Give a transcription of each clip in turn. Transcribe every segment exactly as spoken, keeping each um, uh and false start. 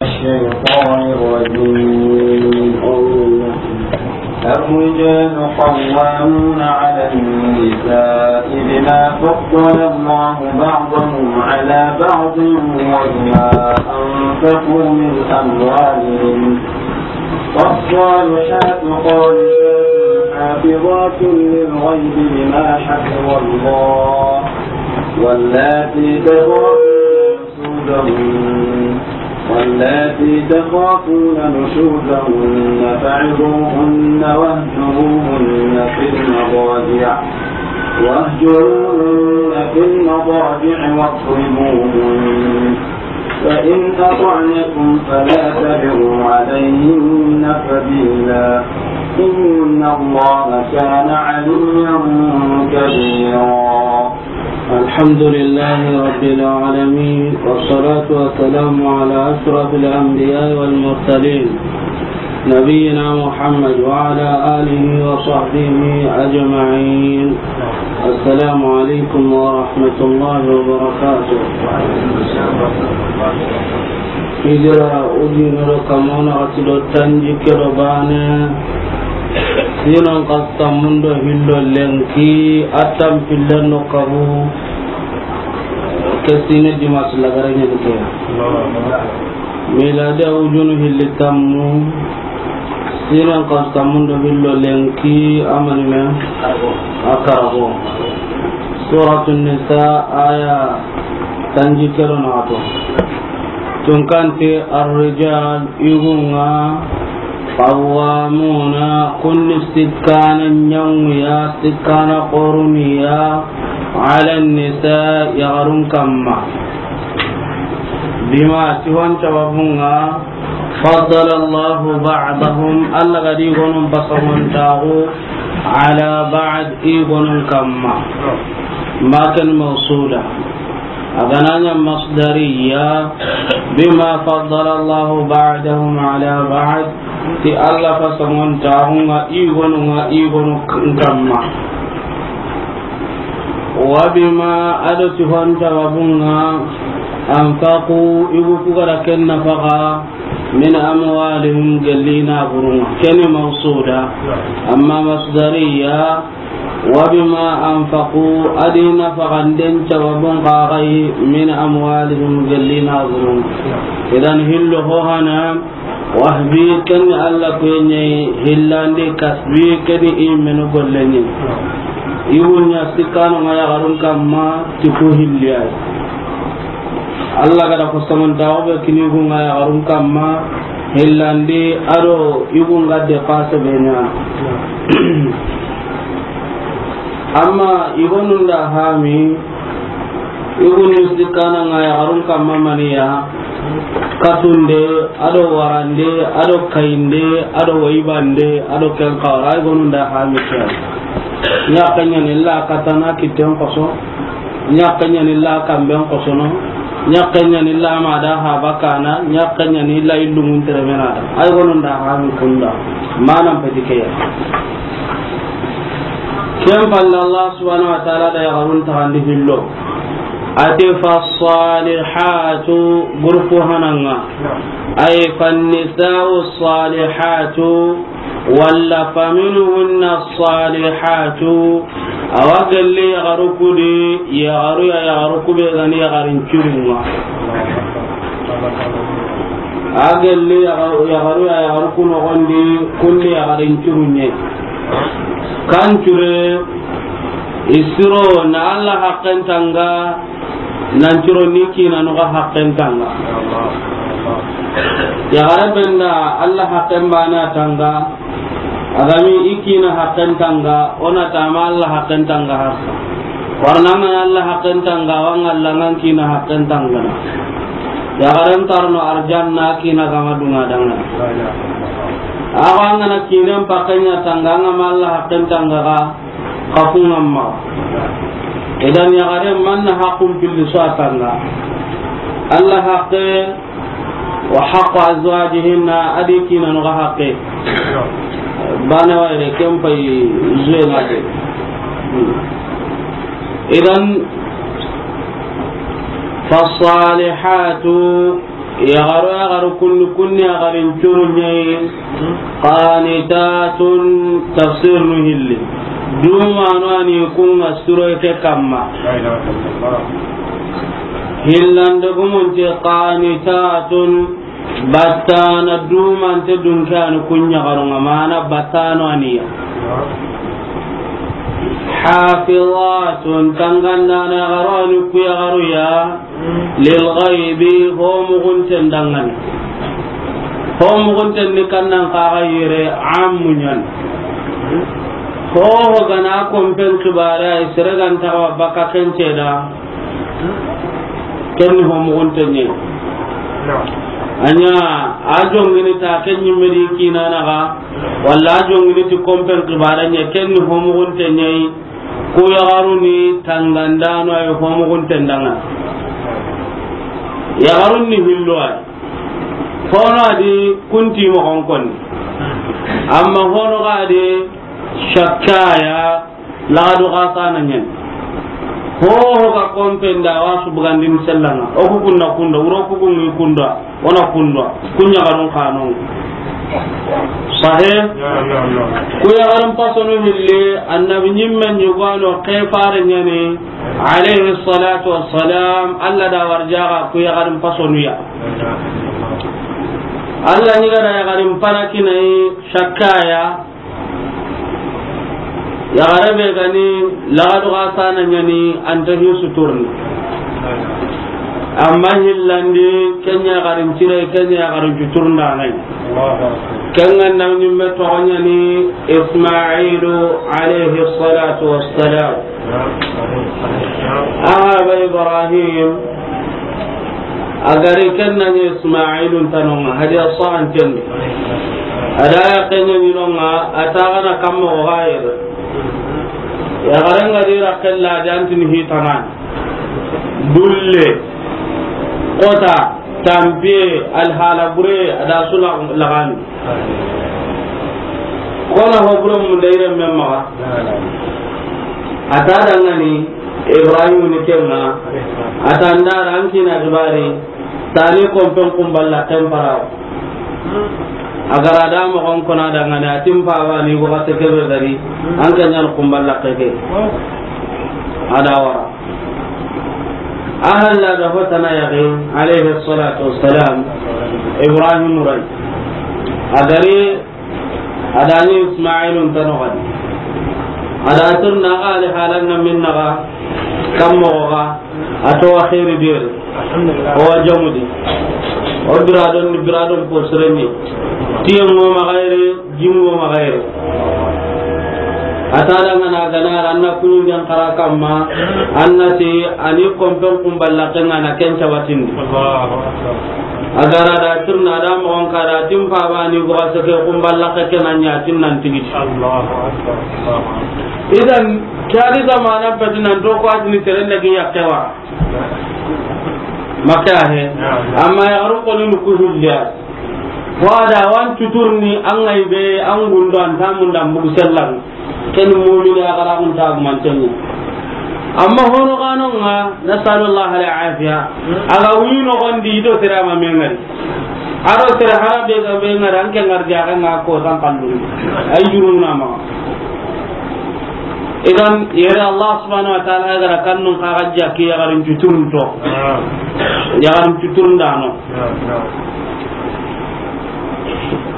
الشيطان الرجيم. الرجال قوامون على النساء بما فضل الله بعضهم على بعض وبما أنفقوا من أموالهم. فالصالحات قانتات حافظات للغيب بما حفظ الله. واللاتي تخافون نشوزهن، واللاتي تخافون نشوزهن فعظوهن واهجروهن في المضاجع، واهجروهن في المضاجع واضربوهن، فإن أطعنكم فلا تبغوا عليهن سبيلا، إن الله كان عليا كبيرا. الحمد لله رب العالمين، والصلاة والسلام على أشرف الأنبياء والمرسلين، نبينا محمد وعلى آله وصحبه أجمعين. السلام عليكم ورحمة الله وبركاته. Hijira ujunero kamona ati do tanjikke do baane, sinan kastamundo hillo lenki, atan pillen no kabu, ke sine dimas lagare ñen ke. Miladi ujunu hilli tammu, sinan kastamundo hillo lenki, amani me a karago. Suratun Nisa aya tanjikke do naxato. Tunkante, الرجال, yugunga, قوامون, kunni sikkana ñanguya, sikkana qoruniya, على النساء, yaxarun kamma. بما, ti hon sababunga, فضل الله بعضهم, Alla ga da i gonun pasamontaxu, على بعض, i gonun kamma. ما كان موصولا. A ga na ña masdariya, بما فضل الله بعضهم على بعض, ti Alla pasamontaxunga i gonunga i gonu kamma. وبما, a do ti hon sababunga, أنفقوا, yugu ku ga da ken nafaxa, من أموالهم, gelli naburunga. Keni mawsuda, amma masdariya, وبما أنفقوا, a di nafaxanden sababun xa ga yi, من أموالهم, gelli naburunga. Idan hillo ho hana, wahbi, ken Alla kuyen ñi, hillandi kasbi, keni i menu gollen ñi. I wuña sikkanonga yaxarun kamma, ti ku hilli ya yi. Alla ga da ko samantaxu be kini yugunga yaxarun kamma, hillandi a do yugunga dépasse be ña. Amma i gonun da hami, i gonu sikkananga yaxarun kamma maniya, katunde, a do warande, a do kayinde, a do wayibande, a do ken xawara, i gonun da hami ke ya. Ñaxe ñani illa katana kitten xoso, ñaxe ñani illa kamben xosono, ñaxe ñani illa ma da haba kana, ñaxe ñani illa illumun teremena da. Ay gonun da hami kunda. Manan peti ke ya. Ken palle Allah subhanahu wa ta'ala da yaxarun taxandi hillo. A ti, فالصالحات, groupe hananga. Ay, فالنساء الصالحات, walla فمنهن الصالحات, a wa gelli yaxaru ku di, yaxaru ya, yaxaru ku be ga ni yaxarin curunga. A gelli yaxaru, yaxaru ya, yaxaru ku noxon di, kun di yaxarin curunye. Kan cure, i siro na Alla haqqen tanga, nan curo ni kina no ga haqqen tanga. Yaxare benda Alla haqqen bana tanga, a ga mi i kina haqqen tanga, o na tama Alla haqqen tanga harsa. Warna ngana Alla haqqen tanga, wa ngalla ngan kina haqqen tanga na. Yaxaren tarno arjanna kina gama dunga danga. Awa ngana kinen pakken ña tanga, ngama Alla haqqen tanga ga, kafunga ma. Idan yaxare manna haqqun pilli so a tanga. Alla haqqe, وحق أزواجهن, a di kina no ga haqqe. Bana wayre ken pay zuwe ngade. Idan, فالصالحات, Yaxaru, yaxaru kunni, kunni yaxarin curu ɲa yi. Qanitatun, tafsir nu hilli. Dumanu a ni kun ŋa suro ke kamma. Hillande gumunti qanitatun, battana dumante dunke a ni kun yaxarun ŋa, mana battano a ni ya. Hafizatun, tangandana yaxaru a ni ku yaxaru ya. Lil ghaibi, ho mugunten dangani. Ho mugunten ni kannan kaga yere ammu ɲan. Ho ho gana kompen kibare ay sere gan tawa baka kence da. Ken ni ho mugunten ɲe. Anya a jongini ta ken ɲimme di kinana ga, walla a jongini ti kompen kibare ɲe, ken ni ho mugunten ɲe. Ku yaxarun ni tangandano ay ho mugunten danga. Yaxarun ni hillo ay. Hono a di kunti moxon konni. Amma hono ga di shakkaya lagadu xa sana ɲen. Ho ho ga kompen da wa su bugandin sellanga. O ku kunna kunda, wuro ku kunni kunda. Wona kundwa, kun yaxarun xanon. Sahe? Ku yaxarun pasonu hille, annabi ɲimmen ɲugano ke fare ɲani, alayhi salatu wassalam, Allah da warjaga ku yaxarun pasonu ya. Allah ɲiga da yaxarun pana kinayi shakkaya, Yaxare be gani lagadu ga sana ɲani anta hi suturni. Amma hillandi kenya yaxarin cire, kenya yaxarin cuturndanayi. Kenga na ɲimme toxo ɲani Ismailu alayhi salatu wassalam. Aha ba Ibrahim. A gari ken na ɲi Ismailun tanonga, hadiya sahanten. A da ya kenya ɲinonga, a ta gana kamma o gayere. Ya garen ga dira kella jantin hitanan. Dulle, kota, tampiye, alhala bure, a da su lagani. Kona ho buro mun da ire men maxa. A ta dangani Ibrahim ni kenga. A ta ndara an kina gibari. Tani kompen kumballa ken para. A gara da moxon kona dangani a timpa ba ni ko kate kebe gari. An kan yan kumballa keke. A da wara. A halla da hotana yaxi, alayhi salatu wassalam, Ibrahim ray. A gari, a da ni Ismailun tano gadi. A da tirna ga ali halan na minna ga, kammo ga, a to wa khairi dire. O wa jamudi. O biradon, biradon po sireni. Tiyan mo ma gairi, Jingo ma gairi. A ta dangana gana ra, an na kuɲinden xara kamma, an na ti a ni kompen kumballa kenga na ken cabatindi. Allahu Akbar. A gara da tirna da moxon ka da timpa ba ni go seke kumballa ke na ɲa tin nan tigiti. Allahu Akbar. Allahu Akbar. Idan, kari zamana peti nan to ko atini seren da gi yakkewa. Makka he. Amma ya garu ko ni ku hujja. Wada wan tuturni an ŋa i be an gundo an ta munda mbugu sellan. Ken mu'mini a gara kun ta mantenni. Amma hono gano nga, nasallallahu al-afiya. Aga wino gondi do sira ma mengari. Aro sira hara be ga be ngara an ke ngar jaga nga ko san kallu. Ay juruna ma. Idan yere Allah subhanahu wa ta'ala gara kannun ka gajja ki ya garin tuturun to. Ya garin tuturun dano.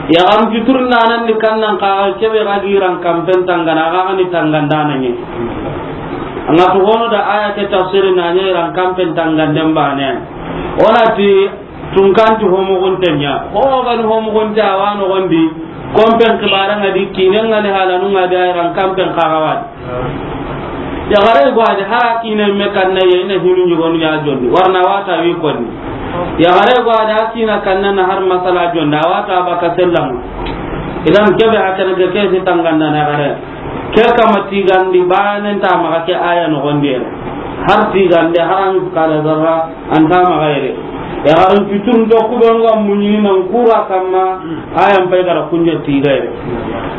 Yaxarin cuturundanan ni kannan ka kebe ga giran kampen tangana, a ga ni tangandana ni. Anga to gono da aya ke tafsiri na ni ran kampen tanganden bane. Onati tunkanti homo gontenya. Ho ga ni homo gonte awano gondi. Kompen kibara nga di kinen nga ni halanu nga di ran kampen kagawadi. Yaxare go ade hara kine me kanna ye ina hinu ɲugonu ya jonni. Warna wata wi konni. Yaxare go ade a kina kanna na har masala jonni. A wata baka sellam. Idan kebe hakana ke ke si tanganda na gare. Ke kama tigandi banen ta maxa ke aya no gonde. Har tigande haran kala zarra. Anta maxa yere. Yaxarin cuturun do kubenga muɲini nan kura kamma, ayan pay gara kuɲa tigayre.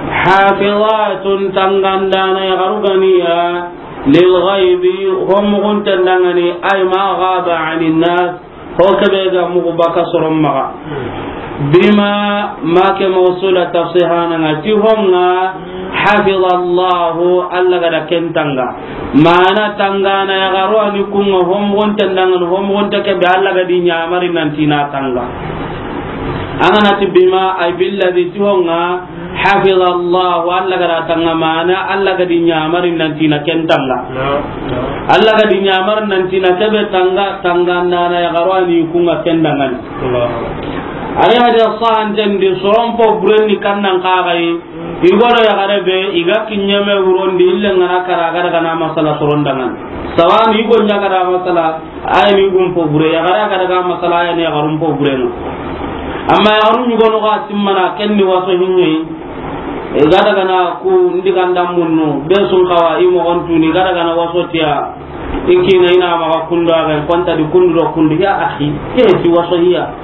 Hafizatun tangandana yaxaru ganiya, lil ghaibi, homo gunten dangani, ay ma ghaba anin nas, Ho kebe ga mugu baka soron maxa. Bima, ma ke mawsula tafsihana nga ti honga, hafidallahu, Allah ga da ken tanga. Mana tangana ya garo ani kunga homogon tendangan homogon te kebe Allah ga di nyamari nanti na tanga. Angana ti bima ay billazi ti honga, hafidallahu, Allah ga da tanga mana Allah ga di nyamari nanti na ken tanga. Allah ga di nyamari nanti na kebe tanga, tanga nana ya garo ani kunga ken dangan. Ari hada sahan tendi soron po bureni kannan kagai. Igodo ya gare be iga kinyeme wurondi ille ngana kara gada gana masala soron dangan. Sawan igo nya gada masala. Aya ni gum po bure, ya gara gara ga masala aya ni ya garum po bure no. Amma ya garum ni gono ga simmana ken ni waso hinne. E gada gana ku ndi ganda munno, be sun kawa i mo on tuni gada gana waso tiya. Ikina ina ma ga kundo aga konta di kundu do kundu ya akhi. Ke ti waso hiya.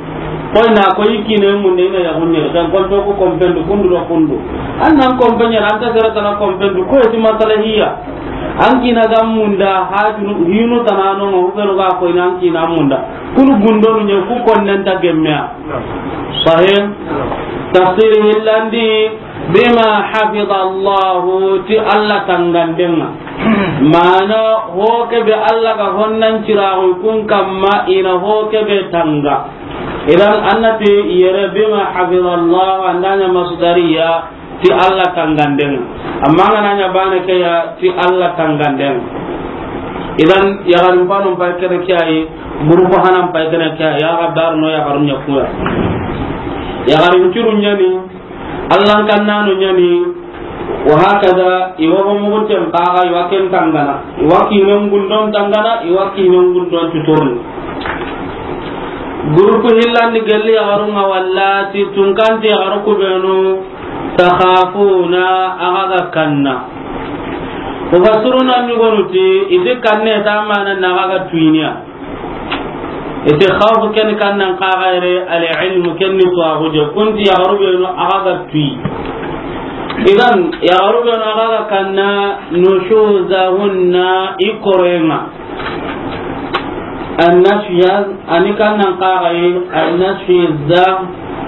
Koy na koy ikine mun de ina ya gunne kan konto ko kompendu kundu do kundu. Annan kompenye anta sera tana kompendu ko ti masala hiya. An kina ga munda hajunu hinu tanano no hubenu ga ko ina an kina munda. Kunu gundonu nye ku konnen ta gemmea. Sahih. Tafsir hillandi bima hafidallahu ti Allah tangandenga. Mana ho kebe Allah ga honnan ciraxu kun kamma ina ho kebe tanga. Idan annati yere bima hafidallahu andanya masdariya ti Allah tanganden. Amma ngana nya bana ke ya ti Allah tanganden. Idan ya garin fanon pai kene kiyaye, guru ko hanan pai kene kiyaye, ya ga dar no ya garun ya kuya. Ya garin kirun yani, Allah kannano yani, wa hakada iwa mugunten kaga iwa ken tangana, iwa kinon gundon tangana, iwa kinon gundon tuturni. Groupe hillandi gelli yaxarunga walla ti tunkanti yaxaru kubenu takhafuna axa ga kanna. Mufassiruna ñugonu ti iti kanne ta mana na axa ga tuyiniya. Iti khawfu ken kannan kaxayre al ilmu ken ni tuwaxu je kunti yaxaru benu axa ga tuyi. Idan yaxaru benu axa ga kanna nushuzahunna i korenga. Annashuz, ani kannan kaxayi, annashuz,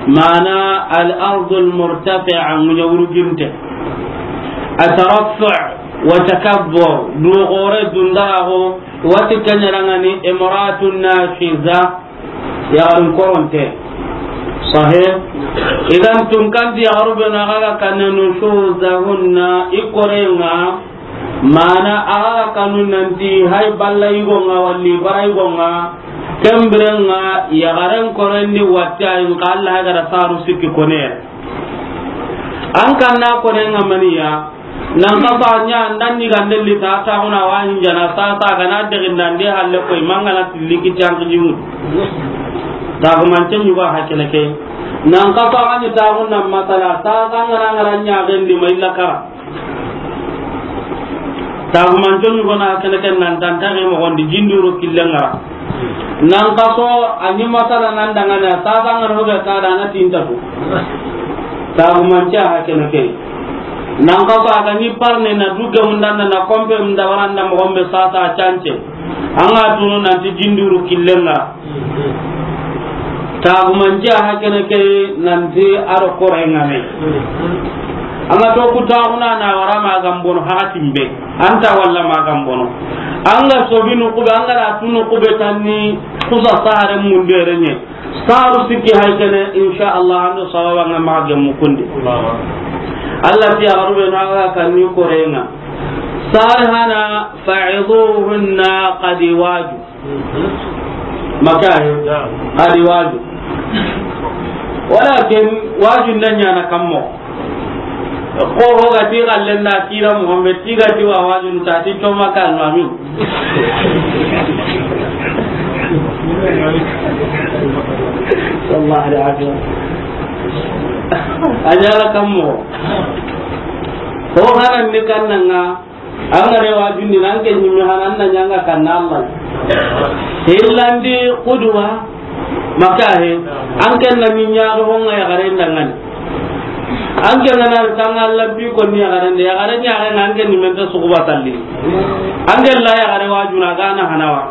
mana al-ardul murtafi'a, ŋuña wuruginte. Ataraffu' wa takabbur, du xore dundaraxo, wati keñerangani imra'atun nashiza, yaxarun koronte. Sahih. Idan tunkanti yaxaru benu axa ga kanne nushuzahunna, i korenga, Mana axa kanu nanti hay balla yigonga walli bara yigonga, kembirenga yaxaren korendi watta in ka Allah ga da saru sikki kone. An kanna kone nga maniya, nan ka fa nya nan ni gande li ta ta huna wa hin jana sa sa ga na de gindande halle koy mangana tiliki tan jimu. Ta ko man tan yuba hakene ke. Nan ka fa ga ni ta huna masala sa sa ngara ngara nya gendi mai la kara. Tagumanco ñugona kene ken nan tantaxe moxondi jinduro killen ŋara. Nan kaso a ñi masala nan dangana sasa ngana hobe kada na tintatu. Tagumance a kene ke. Nan kaso a ga ñi parne na duge mundanda na kompe munda waranda moxombe sasa a cance. An ga tunu nanti jinduro killen ŋara. Tagumance a hakene ke nanti a do kore ŋame. An ga to ku taguna na wara ma gambono hakatimbe. Anta walla ma gambono. An ga sobinu kube, an ga ra tunu kube tanni kusa sare munde renye. Saru sikki hakene, insha Allah, an do sababa nga ma gemmu kundi. Allah ti a garube na ga kanni kore ŋa. Salihana fa'iduhunna qad waju. Maka he. Naam. Adi waju. Walakin waju nda ñaana kammo. Ko ho ga ti galle na kira Muhammad ti ga ti wa waju ta ti to maka no amin. Sallallahu alaihi wasallam. A ñaana kammo. Ho hanan ni kannanga. An ga re wajundi nan ke ñimi hanan na ñanga kanna Allah. Hillandi kuduwa maka he. An ken na ñi ñaxo honga yaxare ndangani. An ken na ri tanga Allah bi ko ni yaxare nde yaxare ñaxe an ken ni men ta suguba talli. An ken la yaxare wajuna gana hanawa.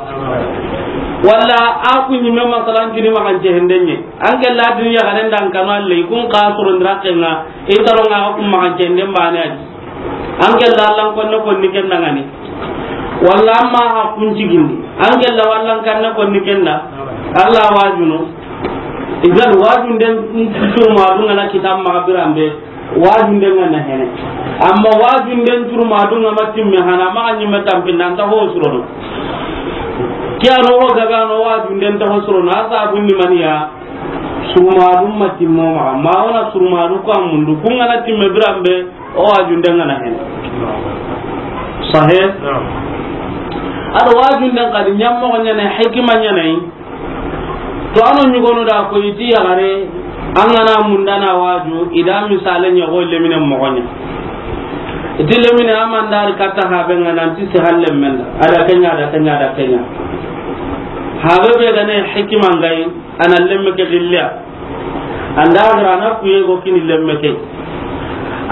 Walla a ku ɲimme masalan kini maxance hendenye. An ke la duniya garen dan kanu alle, kun ka soro ndira kenga, i taro nga ku maxance henden bane adi. An ke la lan konne konni ken dangani. Walla amma ha kun cigindi. An ke la wallan kanne konni ken da. Alla wajuno. Idan wajunden tuma dunga na kitam ma birambe. Wajunden ŋa na hene. Amma wajunden turu ma dunga ma timme hana ma ɲimme tampinda nta ho surono. Ke ano ho gabe ano wajunden ta ho surono. A sabun ni maniya. Suruma dun ma timmo ma. Ma wona suruma du ko amundu. Kun ŋa na timme birambe. O wajunden ŋa na hene. Sahe. Naam. Ado wajunden kadi ɲammo ɲane hikima ɲane. To ano ɲugonu da ko iti yaxare, an gana mundana waju, ida misale ɲa go lemine moxoɲa. Iti lemine amandari katta habe nga nanti si halle menda. Ada kenya, ada kenya, ada kenya. Habe be gane hikima ngai, ana lemme ke dilliya. Anda gara na kuye go kini lemme ke.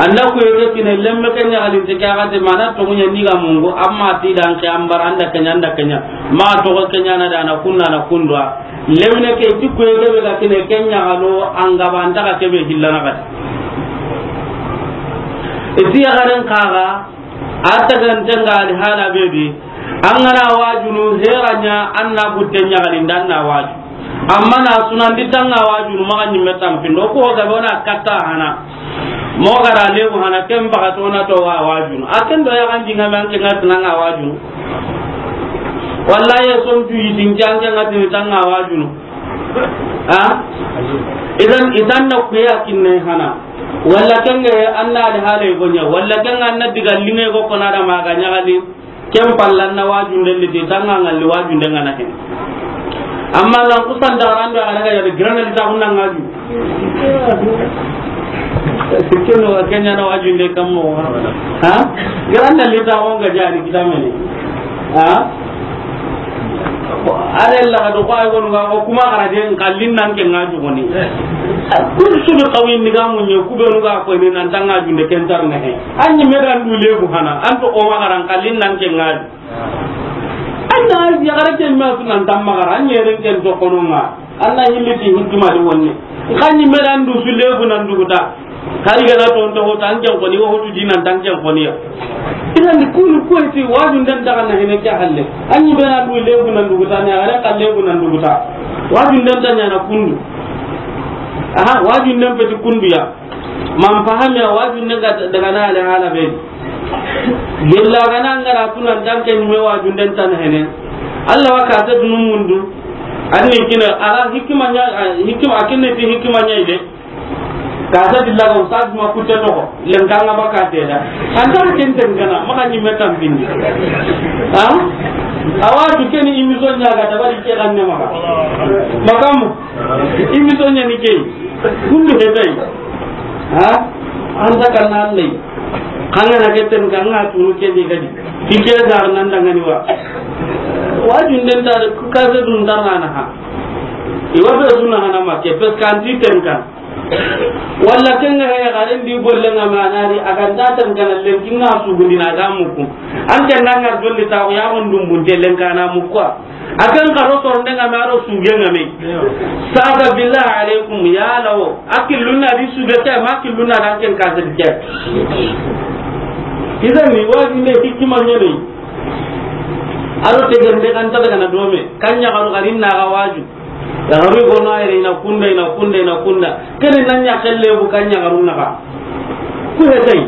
Anda ku yere kine lemme ke ɲaxalinte ke axa de mana toxo ɲa ni ga mungu, amma ti dan ke an bara anda ke ɲa, anda ke ɲa. Ma toxo ke ɲa na dana kunna na kundwa. Lemine ke ti ku yere be ga kine ke ɲaxalo an ga ba anta ga ke be hillana ga. Iti yaxaren kaga, a taganten ga ali hala be di. An gana wajunu heranya an na butte ɲaxalinda an na waju. Amma na sunandi tanga wajunu maxa ɲimme tampindo ko gabe wona katta hana. Mo gara lebu hana ken baga to na to wa wajunu. A ken do ya ganji ngame an ke ngat nanga wajunu. Wallahi son tu yidin jange ngat ni tanga wajunu. Ha? Idan, idan na kuya kinne hana. Walla kenge anna ali hale gonya. Walla kenga anna diga linge go kona da maga ɲagali. Ken pallan na wajunden liti tanga ngalli wajunden ŋa na hene. Amma lan kusan da rando a daga yare girana lita kunna ngaju. Keno wa kenya na wajunde kammo. Ha? Girana lita on ga jani kitamene. Ha? Are la do ko ay gonu ga ko kuma kara den kallin nan ke ngaju goni. Kun su bi qawin ni ga munye ku be nu ga ko ni nan tanga junde ken tar ne he. Anyi me dan du lebu hana, an to o ma garan kallin nan ke ngari. Anna ya gara ke ma sunan tamma gara, anyi ren ken to kono nga. Anna hilli ti hikima di wonne. Kanyi me dan du su lebu nan du guta. Kari gana to to tan ken koni wo tu dinan tan ken koni ya. Idan kunu ko ti wajun dan daga na hene ke halle. Anyi be nan du lebu nan du guta ne, ara ka lebu nan du guta. Wajun dan dan na kundu. Aha, wajun dan peti kundu ya. Man fahami a wajunde ga daga na ale hala be. Gella gana ngara tunan tanke ni me wajunden tan hene. Allah wa ka ta dunun mundu. Anni kina ala hikima nya, hikima akinne ti hikima nya ide. Ka ta dilla ga ustaz ma kutte to ko. Len kanga ba ka te da. Anta ken ten kana maka ni metam bindi. Ha? Awaju keni imison nya ga dabari ke ganne maka. Makamu. Imison nya ni ke. Kundu hetai. Ha? Anta kan nan lay. Kanga na keten kanga tunu ke di gadi. Tike dar nan dangani wa. Wajun den tar ku ka se dun dar na ha. Iwa be sunna hana ma ke pes kan ti ten kan. Walla kenga he garen di golle nga manari akan ta tan kan len kinga su gundina ga muku. An kan nan ngar dolli ta ya on dum bunte len kana muku. Akan karo sornde nga maro suge nga me. Sasa billahi alaikum ya lawo. Akilluna di suge ke ma akilluna dan ken ka zedi ke. Idan ni wajunde hikima nyane. Aro tegende kan ta daga na dome. Kanya karo garin na ga waju. Ya garu gono ayre ina kunda, ina kunda, ina kunda. Kene nanya kelle bu kanya garu na ga. Ku hetai.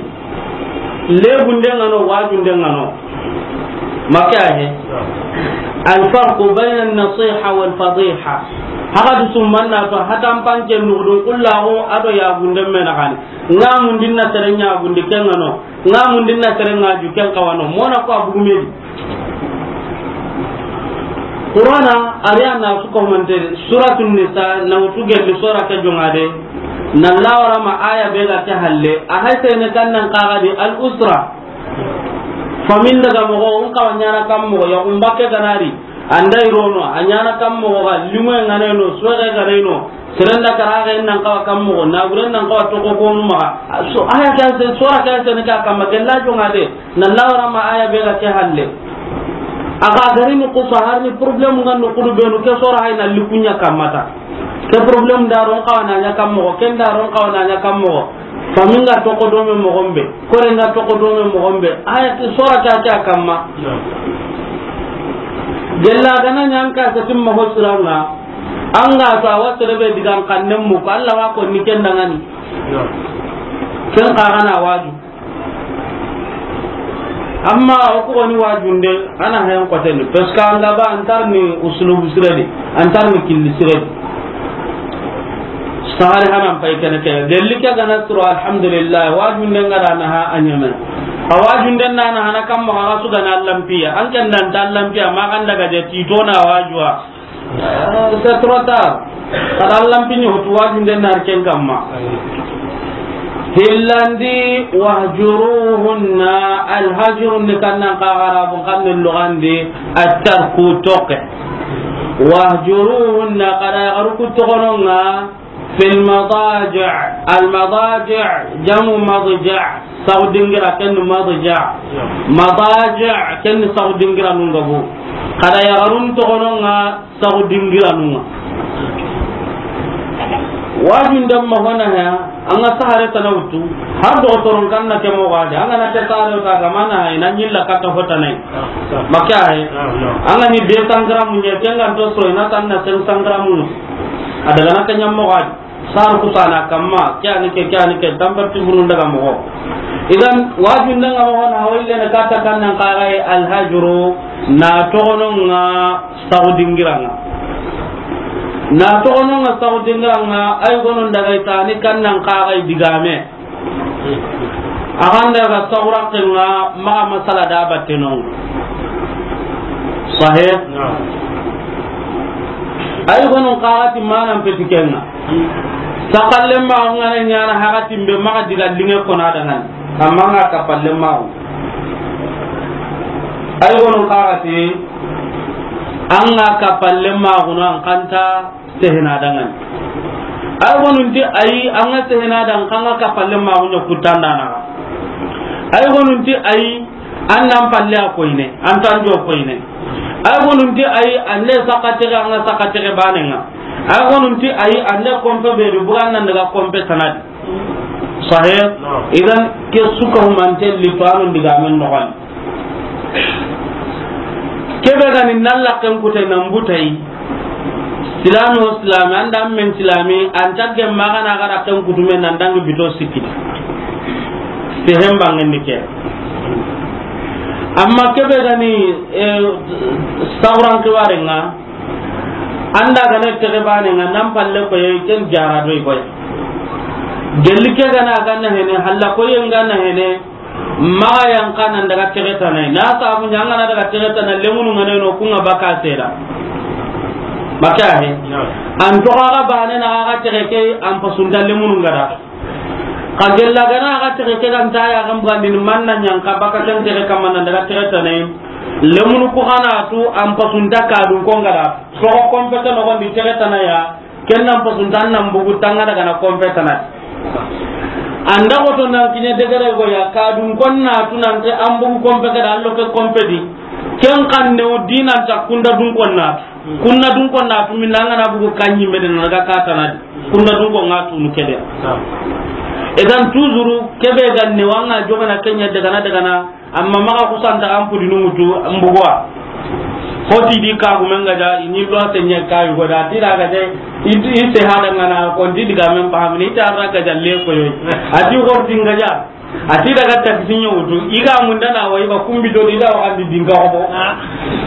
Lebunden ŋa no, wajunden ŋa no. Maka he. Al farqu bayna an-nasiha wal fadiha. Haga du summanna to hatan panke nugudun kullahu ado ya gunden mena gani. Nga mundin na sere nya gundi ken ŋa no. Nga mundin na sere nga ju ken kawano. Mona ko abu medi. Qur'ana, ari a na su ko mante, Suratun Nisa, na wutu gelli sura ke jongade, na lawara ma aya be ga ke halle, a hay sene kan nan kaga di al usra. Famin daga mogo, un kawa ɲana kam mogo, ya un bakke ganari, andai rono, a ɲana kam mogo ga, limo ngane no, soge gane no, Serenda karaxe nan kawa kam mogo, naguren nan kawa toko konu maxa. So, aya ke se, sura ke se ne ka kamma, gella jonga de, na lawara ma aya be ga ke halle. A ga gari ni kusa har ni problème nga no kudu benu ke sora hay na likunya kamata. Ke problème da ron kawana nya kam moxo, ken da ron kawana nya kam moxo. Famin ga toko do me moxo be, kore nga toko do me moxo be. Aya ti sora ta ta kamma. Gella gana nyan ka sa timma hosranga. Anga ta wa sere be digan kannen mu ko Allah wa ko ni ken dangani. Ken ka gana waju. Amma o ko ni wajunde ana hayan koteni, parce que anga ba antar ni uslubu siredi, antar ni killi siredi. Sahari hanan pay kene kene. Gelli ke gana suro, alhamdulillah. Wajunde nga da na ha anyame. A wajunde na na hana kam mo ha su gana lampiya. An ken dan dan lampiya ma kan daga je tito na wajua. C'est trop tard. Kada lampi ni hotu wajunde na ken kamma. Hillandi wahjuruhunna, alhajru ni kannan ka Arabu kan lugandi at-tarku toke. Wahjuruhunna, kada yaxaru ku toxononga fil madaji'. Al madaji' jamu madja'. Saxu dingira ken madaji'. Madaji' ken saxu dingira nungabu. Kada yaxarun toxononga saxu dingiranunga. Wajun damma hona ha, anga sahare tana wutu, har do toron kanna ke mo gade, anga na ke sahare ta ga mana ha, ina nyilla kata hota nai. Maka ha, anga ni deux cents grammes nye, kenga to so, ina tanna cinq cents grammes. Adaga na kanya mo gade. Sar kusana kamma, kyani ke, kyani ke, tambar ti burun daga mo. Idan, wajun danga mo hona, hawille na kata kannan kagai alhajru, na toxononga saxu dingiranga. Na toxononga saxu dingiranga, ay gonon daga itani kannan kagai digame. Axan daga saxurakenga maxa masala da battenonga. Sahih? Ay gonun kaxati manan peti kenga. Sakallen ma ngana nyana hakatin be maxa diga linge kona dangani. Amma nga kapallen ma. Ay gonun kaxati anga kapallen ma guna an kanta sehena dangani. Ay gonunti ayi, anga sehena dan kanga kapallen ma gunya kutandana. Ay gonunti ayi, an nan palle a koyne, an tan jo koyne. Ay gonunti ayi, an ne sakatege, anga sakatege banenga. Ay gonunti ayi, an ne kompe be du buran nan daga kompe tanadi. Sahih? Idan ke suka humante li to anu diga men no. Kebe gani nalla ken kute nan butai. Silami o silami, anda men silami, an tagge magana gara ken kutume nan dangi bito sikki. Te hemba ngendi ke. Amma kebe gani, eh, sauran kiwarenga, anda gane tege banenga, nan palle ko ye ken jara do ko ye. Gelli ke gana gana hene, halla ko ye ngana hene, Maxa yanqa nan daga texe tanay. Na sabu ɲa an ga na daga texe tana, lemunu ŋa ne no, ku ŋa baka seda. Baka he. An toxo xa bane na xa texe ke, an pasunta lemunu ŋa da. Xa gella ga na xa texe ke ga nta ya ga mbugandini, man na ɲa an xa baka ken texe kamma nan daga texe tanay. Lemunu ku xa na tu, an pasunta kadun ko ŋa da. Toxo konpe ke noxondi texe tanaya. Ken nan pasunta an nan bugu tanga daga na konpe tanadi. An da xoto nan kiɲe degere go ya, kadun kon na tu nan te an bugu konpe ke da, allo ke konpe di. Ken kan ne o dinan ta kunda dun kon na tu. Kunda dun kon na tu, min an ga na bugu kanyi me de na daga ka tanadi. Kunda dun kon ŋa tu nu kede. Edan tuzuru kebe gan ne wanga jogana kenya daga na daga na. Amma maxa kusanta an pudinu ŋutu mbuguwa. Xoti di kagumen ga ja, i ni loi seɲe kayu go da, ti da ga ja, i, i se hada ŋa na, konti diga men pahamini, i ta ra ga ja le koyo. A ti xorti ŋa ja. A ti daga taxi ɲa wutu, i ga munda na wa, i ba kumbi do ni da wa andi dinga ko.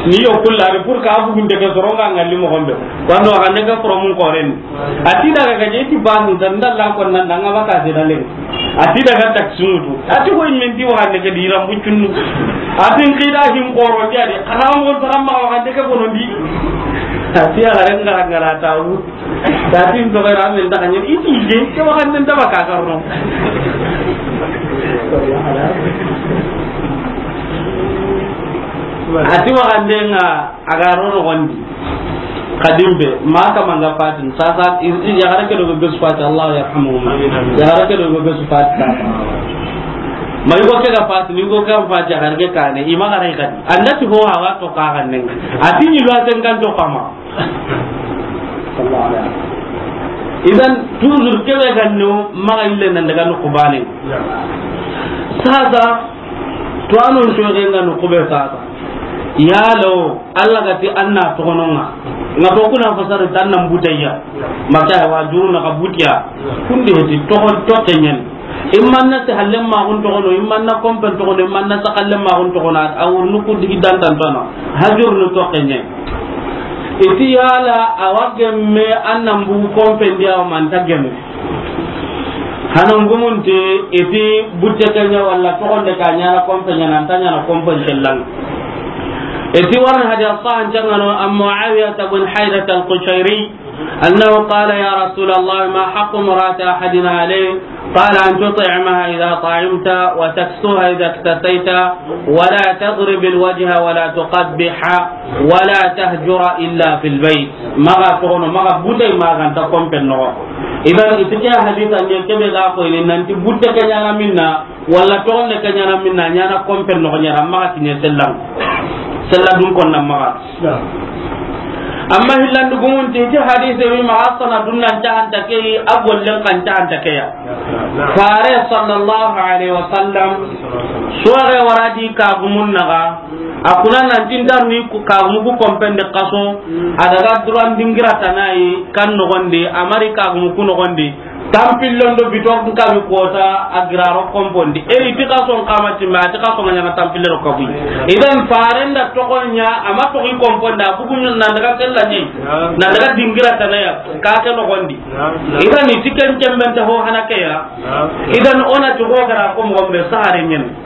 Ni yo kulla de pour ka bugun de ke soronga ŋa li mo gombe. Wando ga ne ga promun koren. A ti daga ga je ti banu dan dalla ko nan danga baka de dalen. A ti daga taxi ŋutu. A ti ko min ti wa ne ke di rambu cunnu. A ti n kida hin koro dia de. Kana mo taram ma wa ne ke bono di. A ti ala renga ngara tawu. A ti n to ga ramen da kan i ti je. Ke wa ne da baka karno. A ti wa ne ŋa. A ga ro noxondi. Xadim be, ma kama nga fatin, sasa, i, i, yaxare ke do be su fati, Allah yarhamuhuma. Amin, amin. Yaxare ke do be su fati, sasa. Ma yugo ke ga fati, ni yugo ke ga fati, a ga ke kane, i ma ga ray kadi. An da ti ho hawa to ka ga nen. A ti ni lo a ten kan to kama. Idan, toujours ke be ga no, ma ga ille nan daga no kubane. Sasa, to anon to ga no kube sasa. Yalo, Allah ga ti an na toxono ŋa. Ŋa to kuna fasari tan nan butayya. Maka wa juru na ka butiya. Kundi heti toxon toxenyen. Imman na se hallen maxun toxono, imman na kompen toxono, imman na se hallen maxun toxono, a wurnu ku digi dantan tana. Hajur nu toxenyen. Iti yala a wa gemme an nan bugu kompen diya wa manta gemme. Hanan gumunti iti butte kenya walla toxonde ka ɲana kompe ɲana anta ɲana kompe sellan. Iti warna hadi sahan jangano an Muawiyah bin Haydat al-Qushayri annahu qala: "Ya Rasulullah, ma haqqu murati ahadina alayhi?" Qala: "An tut'amaha idha ta'imta wa taksuha idha iktasayta wa la tadrib al-wajha wa la tuqabbiha wa la tahjura illa fil bayt." Maga toxono, maga butay, maga nta kompen noxo. Idan, iti ke hadisa ne kebe ga ko ini nanti butte ke ɲana minna, walla toxonde ke ɲana minna, ɲana kompen noxo ɲana, maga kiɲe sellan. Sella dun konna maga. Amma hillandu gumunti, iti hadise wi maga sana dunnan cahanta ke yi, a gollen kan cahanta ke ya. Fare sallallahu alaihi wasallam, soge waradi kagumun naga, A kuna nan tintar ni ku-, kagumu ku kompen de kaso, a daga duran dingira tanayi kan nogondi, a mari kagumu ku nogondi, tampillon do biton kabi kota a giraro kompondi. Eri ti kason kama timma, ti kason ŋa ɲana tampille ro kabu. Idan farenda togonya, ama togi komponda, bugun nan daga kellani, nan daga dingira tanaya, ka ke nogondi. Idan iti ken kemben ta ho hana ke ya. Idan ona ti ho gara ko mo be sahare nyen.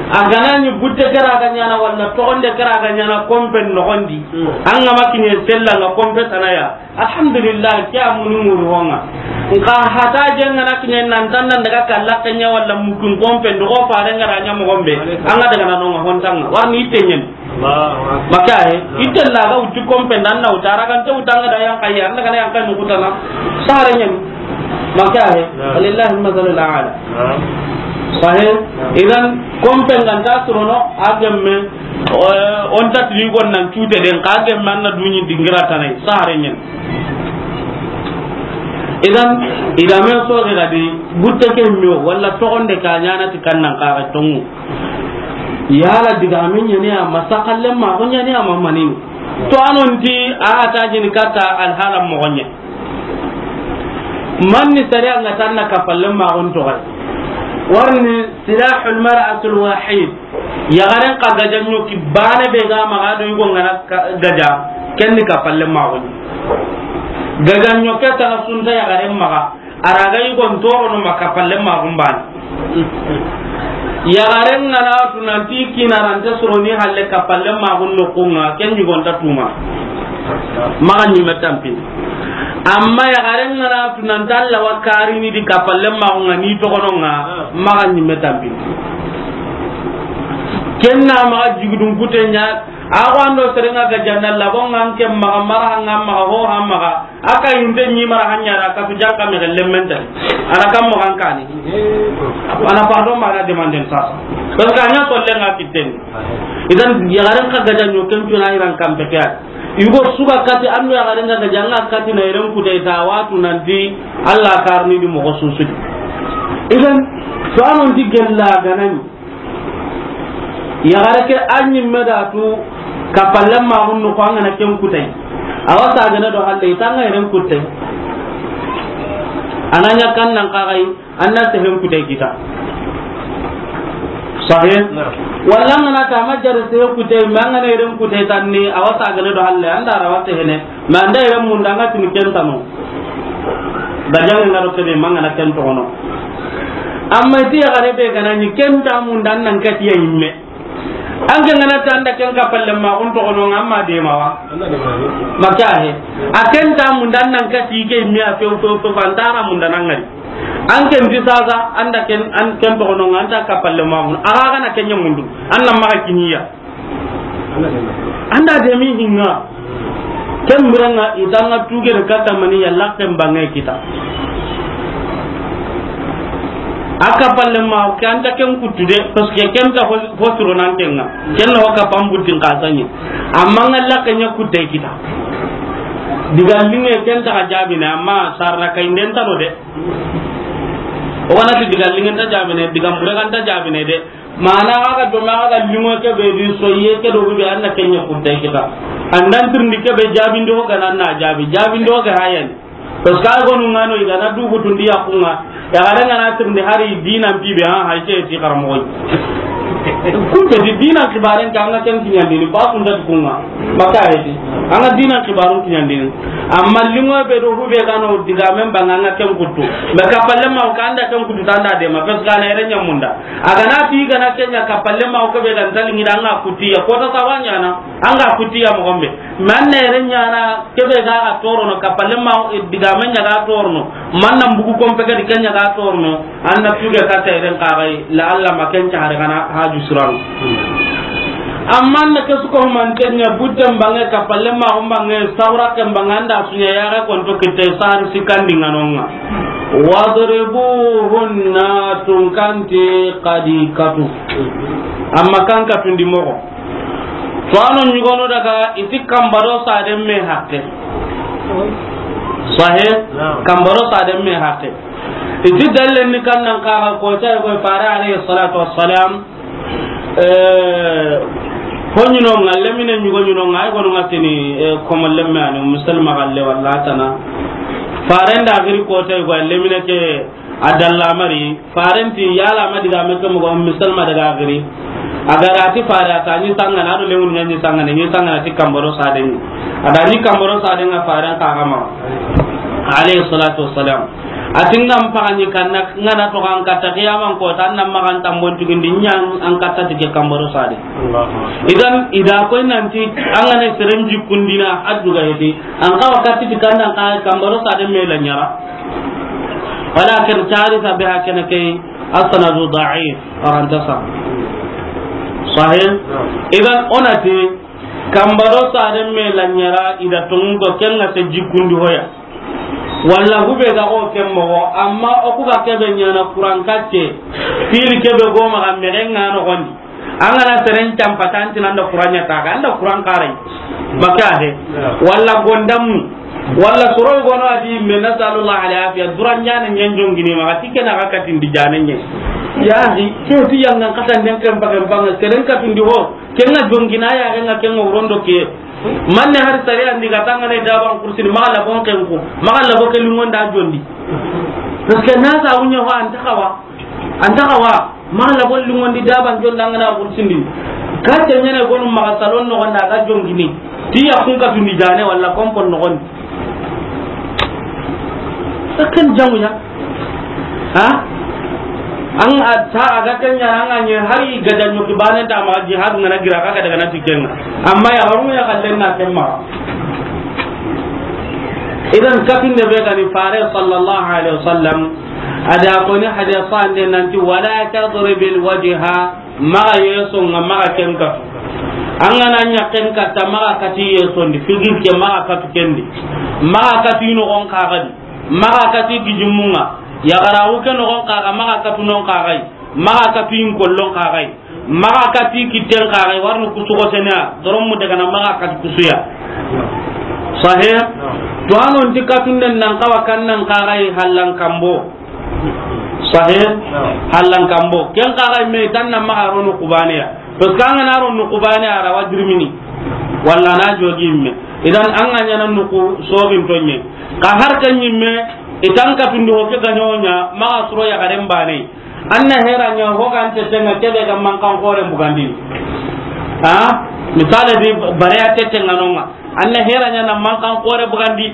A gana ni butte kara ga ɲana walla togonde kara ga ɲana kompen nogondi. An ga ma kiɲe sella nga kompe tanaya. Alhamdulillah, ke a munu muru honga. Nka hata je ngana kiɲe nan tan nan daga kalla kenya walla mukun kompen do ko fare ngara ɲa mo gombe. An ga daga na nonga hontanga. Warni ite nyen. Maka he, ite la ga uti kompen dan na utara kan te utanga da yang kaya, an daga yang kan kutana. Sahare nyen. Maka he, walillahi al-masalul a'la. Sahih. Idan, kompen ganta surono, a gemme, eh, on ta tini gon nan cute den, ka gemme an na duɲi dingira tanai, sahare nyen. Idan, idan men so ga di, butte ke mio, walla togonde ka ɲana ti kannan ka ga tongu. Yala diga men ɲani a ma sakalle ma, ko ɲani a ma mani. To anon ti, a ta jini kata alhala mo gonye. Manni sariya nga tanna kapalle maxun toxay. Warni silahul mar'atul wahid. Yaxaren xa gajanɲo ki bane be ga maxa do yugo ngana ka-, gaja. Kenni kapalle maxun. Gajanɲo ke taxa sunta yaxaren maxa. Araga yugon torono ma kapalle maxun bane. Yaxaren ngana tu nanti kinarante soroni halle kapalle maxun noxunga, ken yugonta tuma. Maxa ɲimme tampini. Amma yaxaren ngana tu nanti Alla wa karini di kapalle maxunga ni toxononga, maxa ɲimme tampini. Kenna maxa jigidun kute ɲa, a ko ando serenga ga janna labonga nke maxa mara hanga maxa ho ha maxa. Aka inte ɲi mara hanya da ka tu janka me gelle menta. Ana kam mo kan kani. Ana pardon ma na demanden sa. Parce que anya tolle nga kitten. Idan yaxaren xa gaja ɲo ken tuna iran kam pe kya. Yugo suga kati ando yaxaren ga gaja nga kati na iran kutai ta watu nanti Alla karni di mo susudi. Idan to anon di gella ganani. Yaxare ke a ɲimme da tu kapalle maxun noxo an gana ken kutay. Awa sagene do halle i tanga yeren kutte. Ana ɲa kan nan kaxay, an na sehen kutay kita. Sahih? Naam. Walla an gana ta ma jare sehe kutay, ma an gana yeren kutay tanni, awa sagene do halle, an da rawa sehene. Ma an da yere munda nga tini ken tano. Da jange nga do kebe manga na ken toxono. Amma iti yaxare be gana ni ken ta munda nan kati ya yimme. An ke ngana ta an da ken kapalle maxun toxono nga amma de mawa. Maka he. A ken ta munda nan kati ke yimme a few few few antara munda nan ngari. An ken ti sasa an da ken, an ken toxono nga an ta kapalle maxun. Aga gana ken ɲa mundu. An na maxa kiniya. An da de mi hinga. Ken birenga i tanga tuge de kata mani yalla ken bange kita. A kappalle ma ke an ta ken kuttu de, parce que ken ta fo, fo siro nan ken ŋa. Ken na wa kappan buttin ka sanye. Amma ŋa la ken ɲa kutte kita. Diga linŋe ken ta ka jaabine, amma sarna kay nden ta no de. O wana ti diga linŋe ta jaabine, diga mbure kan ta jaabine de. Mana aga do ma aga linŋo ke be di soye ke do be an na ken ɲa kutte kita. An dan tirindi ke be jaabindi ho ga nan na jaabi, jaabindi ho ga hayani. Parce que ay gonu ŋa no i ga na dugu tundi ya ku ŋa. Ya ga da ŋa na tirindi hari dinan pibe, ha, hay ke ti karamoxo. Kun be di dinan kibaren ka ŋa ken kiɲandini, ba kun da ku ŋa. Maka heti. An ga dinan kibarun kiɲandini. Amma linŋo be do hube ga no diga men ba ŋa ken kuttu. Be kappalle ma o ka an da ken kuttu tanda de ma. Parce que a na yere ɲamunda. A ga na ti ga na ken ɲa kappalle ma o ke be ga ntali ŋi da ŋa kuttiya. Ko ta sawa ɲaana. An ga kuttiya moxo be. Man na yere ɲaana. Kebe ga ga torono, kappalle ma, eh, diga men ɲa ga torono, man nan bugu kompe ga di ken ɲa ga torono, an na tuge ka teren ka gai, la Allah ma ken ca hari kana haju suran. Amma na ke su ko man ten ɲa butten bange, kappalle ma on bange, sawra ken bange, an da su ɲa ya ga konto kitte sar sikandi ŋa no ŋa. Wadribuhunna, tunkanti kadi katu. Amma kan katundi moxo. To a no ɲugonu daga i ti kambaro saden me hakke. Sahe? Naam. Kambaro saden me hakke. I ti dallen ni kan nan kaga ko tay ko fare alayhi salatu wassalam. Eh, ho ɲuno ŋa, lemine ɲugo ɲuno ŋa, ay gonu ŋa tini, eh, komo lemme ani, musulma galle walla tana. Faren da giri ko tay ko lemine ke, A dalla mari, faren ti yala ma diga me ke moxo, misalma daga giri. A ga ra ti fare a ta ɲi sangana, a do lemun ɲa ɲi sangana, ɲi sangana ti kambaro saden. A da ɲi kambaro saden ŋa faren ka ga ma. Alayhi salatu wassalam. A ti ŋa mpaga ɲi kanna, ŋa na to kan katta kiyaman ko, tan na magan tambon tugindi ɲan an katta ti ke kambaro saden. Allahu Akbar. Idan, i da koy nanti, an ga na seren jikkundina, a duga heti. An ka wakati ti kanna ka kambaro saden me la ɲara. Walakin tarisa be hakana kay asanadu da'if, arantasa. Sahih? Idan onati, kambaro saden me la ɲara i da tongu ko ken ŋa se jikkundi hoya. Walla hube ga o ken moxo, amma o ku ga kebe ɲana Kuran katte, fili kebe go maxa mexen ŋa no gondi. An ga na seren campa tanti nan da Kuran ɲa ta ga, an da Kuran karai. Maka he. Walla gondamu. Walla soro gono a di me, nasalullah al afiya, duran ɲana ɲen jongini ma, ti ke na ga katindi jane ɲe. Ya hi, ke ti yanga katan den kan bagan banga, seren katindi ho, ken ŋa jongina ya, ken ŋa, ken ŋa wurondo ke. Manne har sare andi ga tangane daban kursi, ma la bon ken ko, ma la bo ke lungonda jondi. Parce que na sa wunya ho an ta kawa. An ta kawa, ma la bo lungondi daban jonda ngana kursindi. Ka te ɲene gonu maxa salon no gonda ga jongini. Ti ya kun katundi jane walla kompon no gondi. Sakan jamu ya. Ha? An a ta a ga ken ɲa, an ga ɲe hari ga janyo ki banen ta ma jihad ngana gira ka daga na tikenga. Amma ya garu ya kallen na ken ma. Idan katunde be ga ni fare sallallahu alaihi wasallam. A da ko ni hadisa ande nanti, "Wala tadribil wajha," maxa yeso nga maxa ken katu. An ga na ɲa ken katta, maxa kati yeso ndi, figir ke maxa katu kendi. Maxa kati no gon kaxadi. Maxa kati gijimunga. Ya garawu ke no gon kaxa, maxa katu non kaxai. Maxa katu in kollon kaxai. Maxa kati kitten kaxay, warni kusugo sena, doron mu daga na maxa kati kusuya. Sahih? To anon ti katunden nan kawa kan nan kaxay hallan kambo. Sahih? Hallan kambo. Ken kaxay me tan na maxa ronu kubaniya. Parce que an ga na ronu kubaniya ra wajrimini. Walla na jogi me. Idan an ga ɲana nuku sogin tonye. Ka har kan yimme, itan katundi ho ke ganyonya, maxa suro ya garen bane. An na hera ɲa ho ga an tete ŋa kebe ga mankan xore bugandini. Ha? Misale di, bare ya tete ŋa no ŋa. An na hera ɲa na mankan xore bugandi,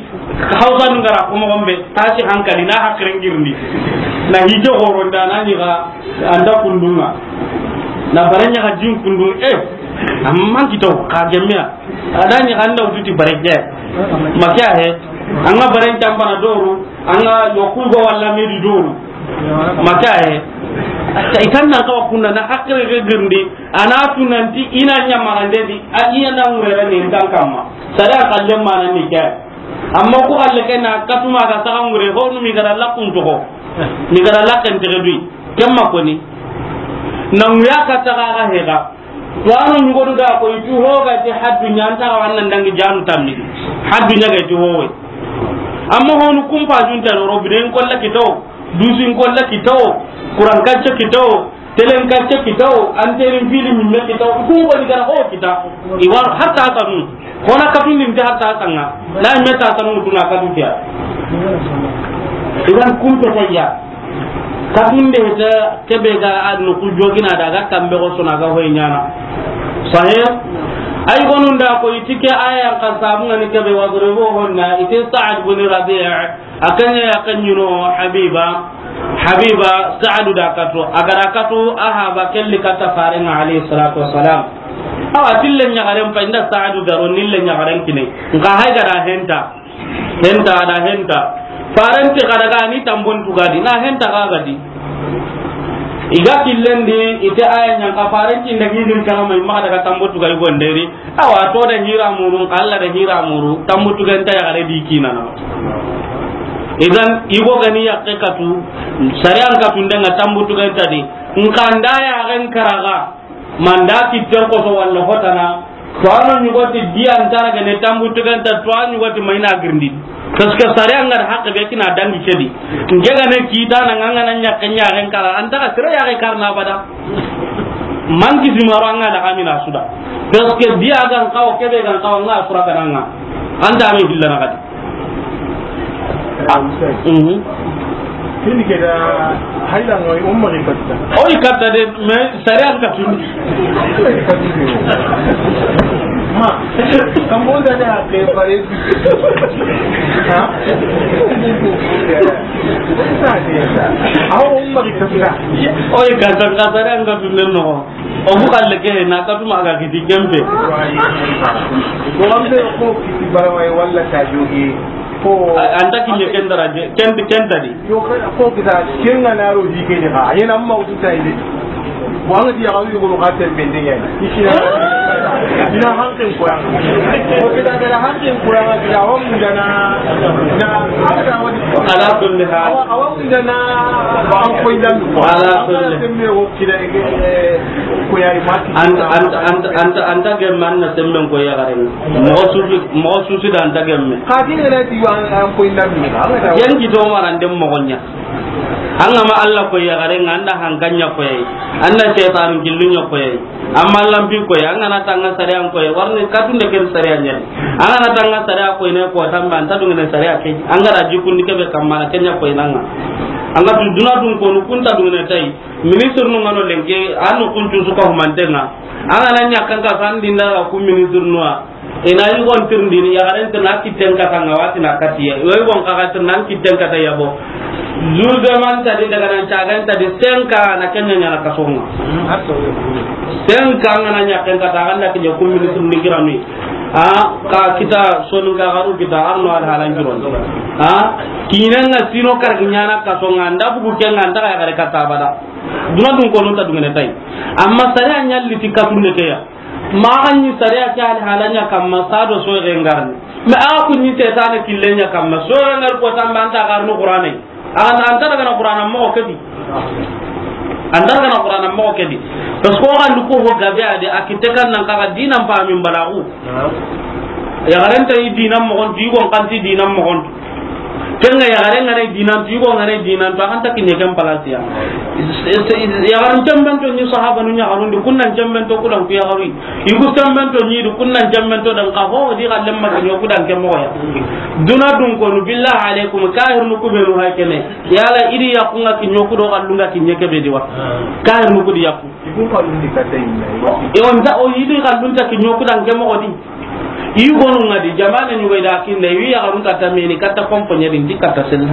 hausa nu ngara ko mo gombe, tasi hankali na hakirin girndi. Na hije xoro nda na ni ga anda kundunga. Na bare ɲa ga jin kundu, eh, amman kito ka gemmiya. Adani anda ututi bare ke. Makiya he. An ga bare ntamba na doru. An ga yoku go walla medi doru. Maka he. Itan nan kawa kunna na hakkere ge girndi. Ana tunanti ina ɲa magande di, a iya na ngurere ni ntan kamma. Sare a kalle mana ni ke. Amma ku kalle ke na katuma ga saga ngure ho nu mi gara lakun to ho. Mi gara laken te dui. Ken ma koni. Na ŋuya katta ga ga hega. To a no ɲugodu da ko i ti ho ga ti haddu ɲa, an ta ga wa nan dangi janu tammi. Haddu ɲa ga i ti ho we. Amma honu kumpa junta no robine in kolla kitawo, dusu in kolla kitawo, kuran kacce kitawo, telen kacce kitawo, anterin fili ɲimme kitawo, kun ko ni gara ho kita. I war hatta kanu. Hona katun din ta hatta kanga. Na me ta kanu tuna katu tiya. Idan kumpe tayya. Katunde ta kebe ga a no ku jogina daga kambe go sona ga hoy ɲana. Sahih? Ay gonun da ko i ti ke aya kan sabu ngani kebe wadribuhunna, i ti Sa'd bin Rabi', a kanya ya kanyuno Habiba, Habiba, Sa'd da katu, a ga da katu, a ha ba kelli katta farenga alayhi salatu wassalam. Awa, tille ɲagaren pa inda Sa'd garo nille ɲagaren kine. Nka hay ga da henta. Henta da henta. Farenti kada ga ni tambon tugadi. Na henta ga gadi. Iga killendi ite aya ɲan ka farenti nda gidin kama mai ma daga tambo tugadi gonderi. Awa to da hira muru, Allah da hira muru. Tambo tuganta ya gare di kinana. Idan igo gani ya katu. Sariyan katu ndenga tambo tuganta di. Nkanda ya ren karaga. Manda kitten koso walla hotana, to a no ɲugoti di an tara gane tambu tuganta, to a ɲugoti mayna girindi. Parce que sare an ga da hakke be kina dangi kedi. Nge gane kita na nganga na ɲakke ɲaxen kara, an ta ga sere yaxe karna abada. Manki simaro an ga da kamina suda. Parce que di a gan kawo kebe gan kawo nga sura kananga. An ta me hillana kadi. Mhm. Kini ke da hayla ngoy umma ni katta. Oy katta de, mais sariya ka tun. Ma, kambo da da ke pare. Ha? Aw umma ni katta. Oy katta, katta sariya ka tun no. O ku xalle ke na katuma ga kiti kempe. Ko ambe ko kiti barawai walla ta jogi ko. Anta kinye ken daraje, ken, ken tadi. Yo ko kita kenga na ro di ke ni ha. Yena amma utu tai de. Wanga di ya ko ko ka tembe de ya. Ina hankin ko ya. Ko kita da hankin ko ya, kita hom dana. Na, ala kulli hal. Awa, awa. Ndana an koy dan ko. Ala kulli. Semme o kida e ko yari mati. Anta, anta, anta, anta, anta gemme an na semmen ko ya garen. Mo susu, mo susu da anta gemme. Ka ti ngana ti wa an koy dan mi. Yan ki to maran dem mo gonya. An ga ma Allah ko ya garen, anda hankanya ko yayi. Anda shaytan gillunya ko yayi. Amma lampi koy, an ga na tanga sariya koy, warni katunde ken sariya ɲa. An ga na tanga sariya koy ne ko tamba, an ta dungene sariya ke. An ga da jikundi kebe kamma na kenya koy nanga. An ga tu duna dun ko nu kunta dungene tai. Ministre nu ngano lenke, anu kuncu suka humantenga. An ga na ɲa kan ka san dinda ku ministre nu a. Ina yi gon tirndi ni, yaxaren tirna kitten kata nga wati na katiye. Yoy gon kaga tirna kitten kata yabo. Juge man tadi daga nan cagan tadi senka na kenya ɲana kasonga. Senka ngana ɲaken kata ganda kinye kummini tirndi kirami. A, ka kita sonu ga garu kita arno al halan kiron. A, kinanga sino kar kinyana kasonga nda bugu kenga nda ya gare kata bada. Duna dun ko non ta dungene tai. Amma sare anyalli ti katunde keya. Maxa ɲi sariya ke ali halanya kamma sado so rengarni. Mais a ku ɲi setane killenya kamma so rengar ko tamba anta garnu Qur'ane. An anta daga na Qur'ana mo kedi. Anta daga na Qur'ana mo kedi. Parce que o gandu ko ho gabe ade a kite kan nan kaga dinan pa min balagu. Ya garanta yi dinan mo gon, digon kanti dinan mo gon. Kenga yaxare ngana dinan tu, yugo ngana dinan tu, a xanta kinye ken place ya. Yaxarun cemben to ni sahaba nu yaxarun di, kunnan cemben to kudan ku yaxaru. Yugu cemben to ni du, kunnan cemben to dan ka ho di xalle ma kinyo kudan ke mo ya. Duna dun ko nu billahi alaikum, kahir nu ku be nu hay kene. Yala idi ya kunga kinyo kudo xallunga kinye ke be di wa. Kahir nu ku di ya ku. Ibu xallun di kata inna. Yo nda o idi xallun ta kinyo kudan ke mo di. I gonu ngadi jamane ɲugo ida kinne wi ya garun kata meni kata kompo ɲadi ndi kata sella.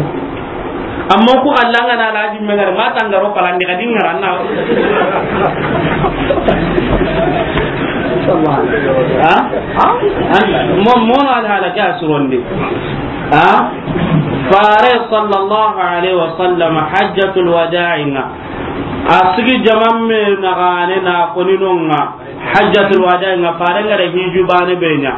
Amma ku Allah ngana laji mengare ma tangaro palandi kadi ngaranna. Ha? Ha? Mo, mono al halaka suronde. Ha? Fare sallallahu alaihi wasallam hajjatul wada'i nga. Asigi jamamme na gane na koninonga. Hajjatul wada nga fare nga da hiju bane be ɲa.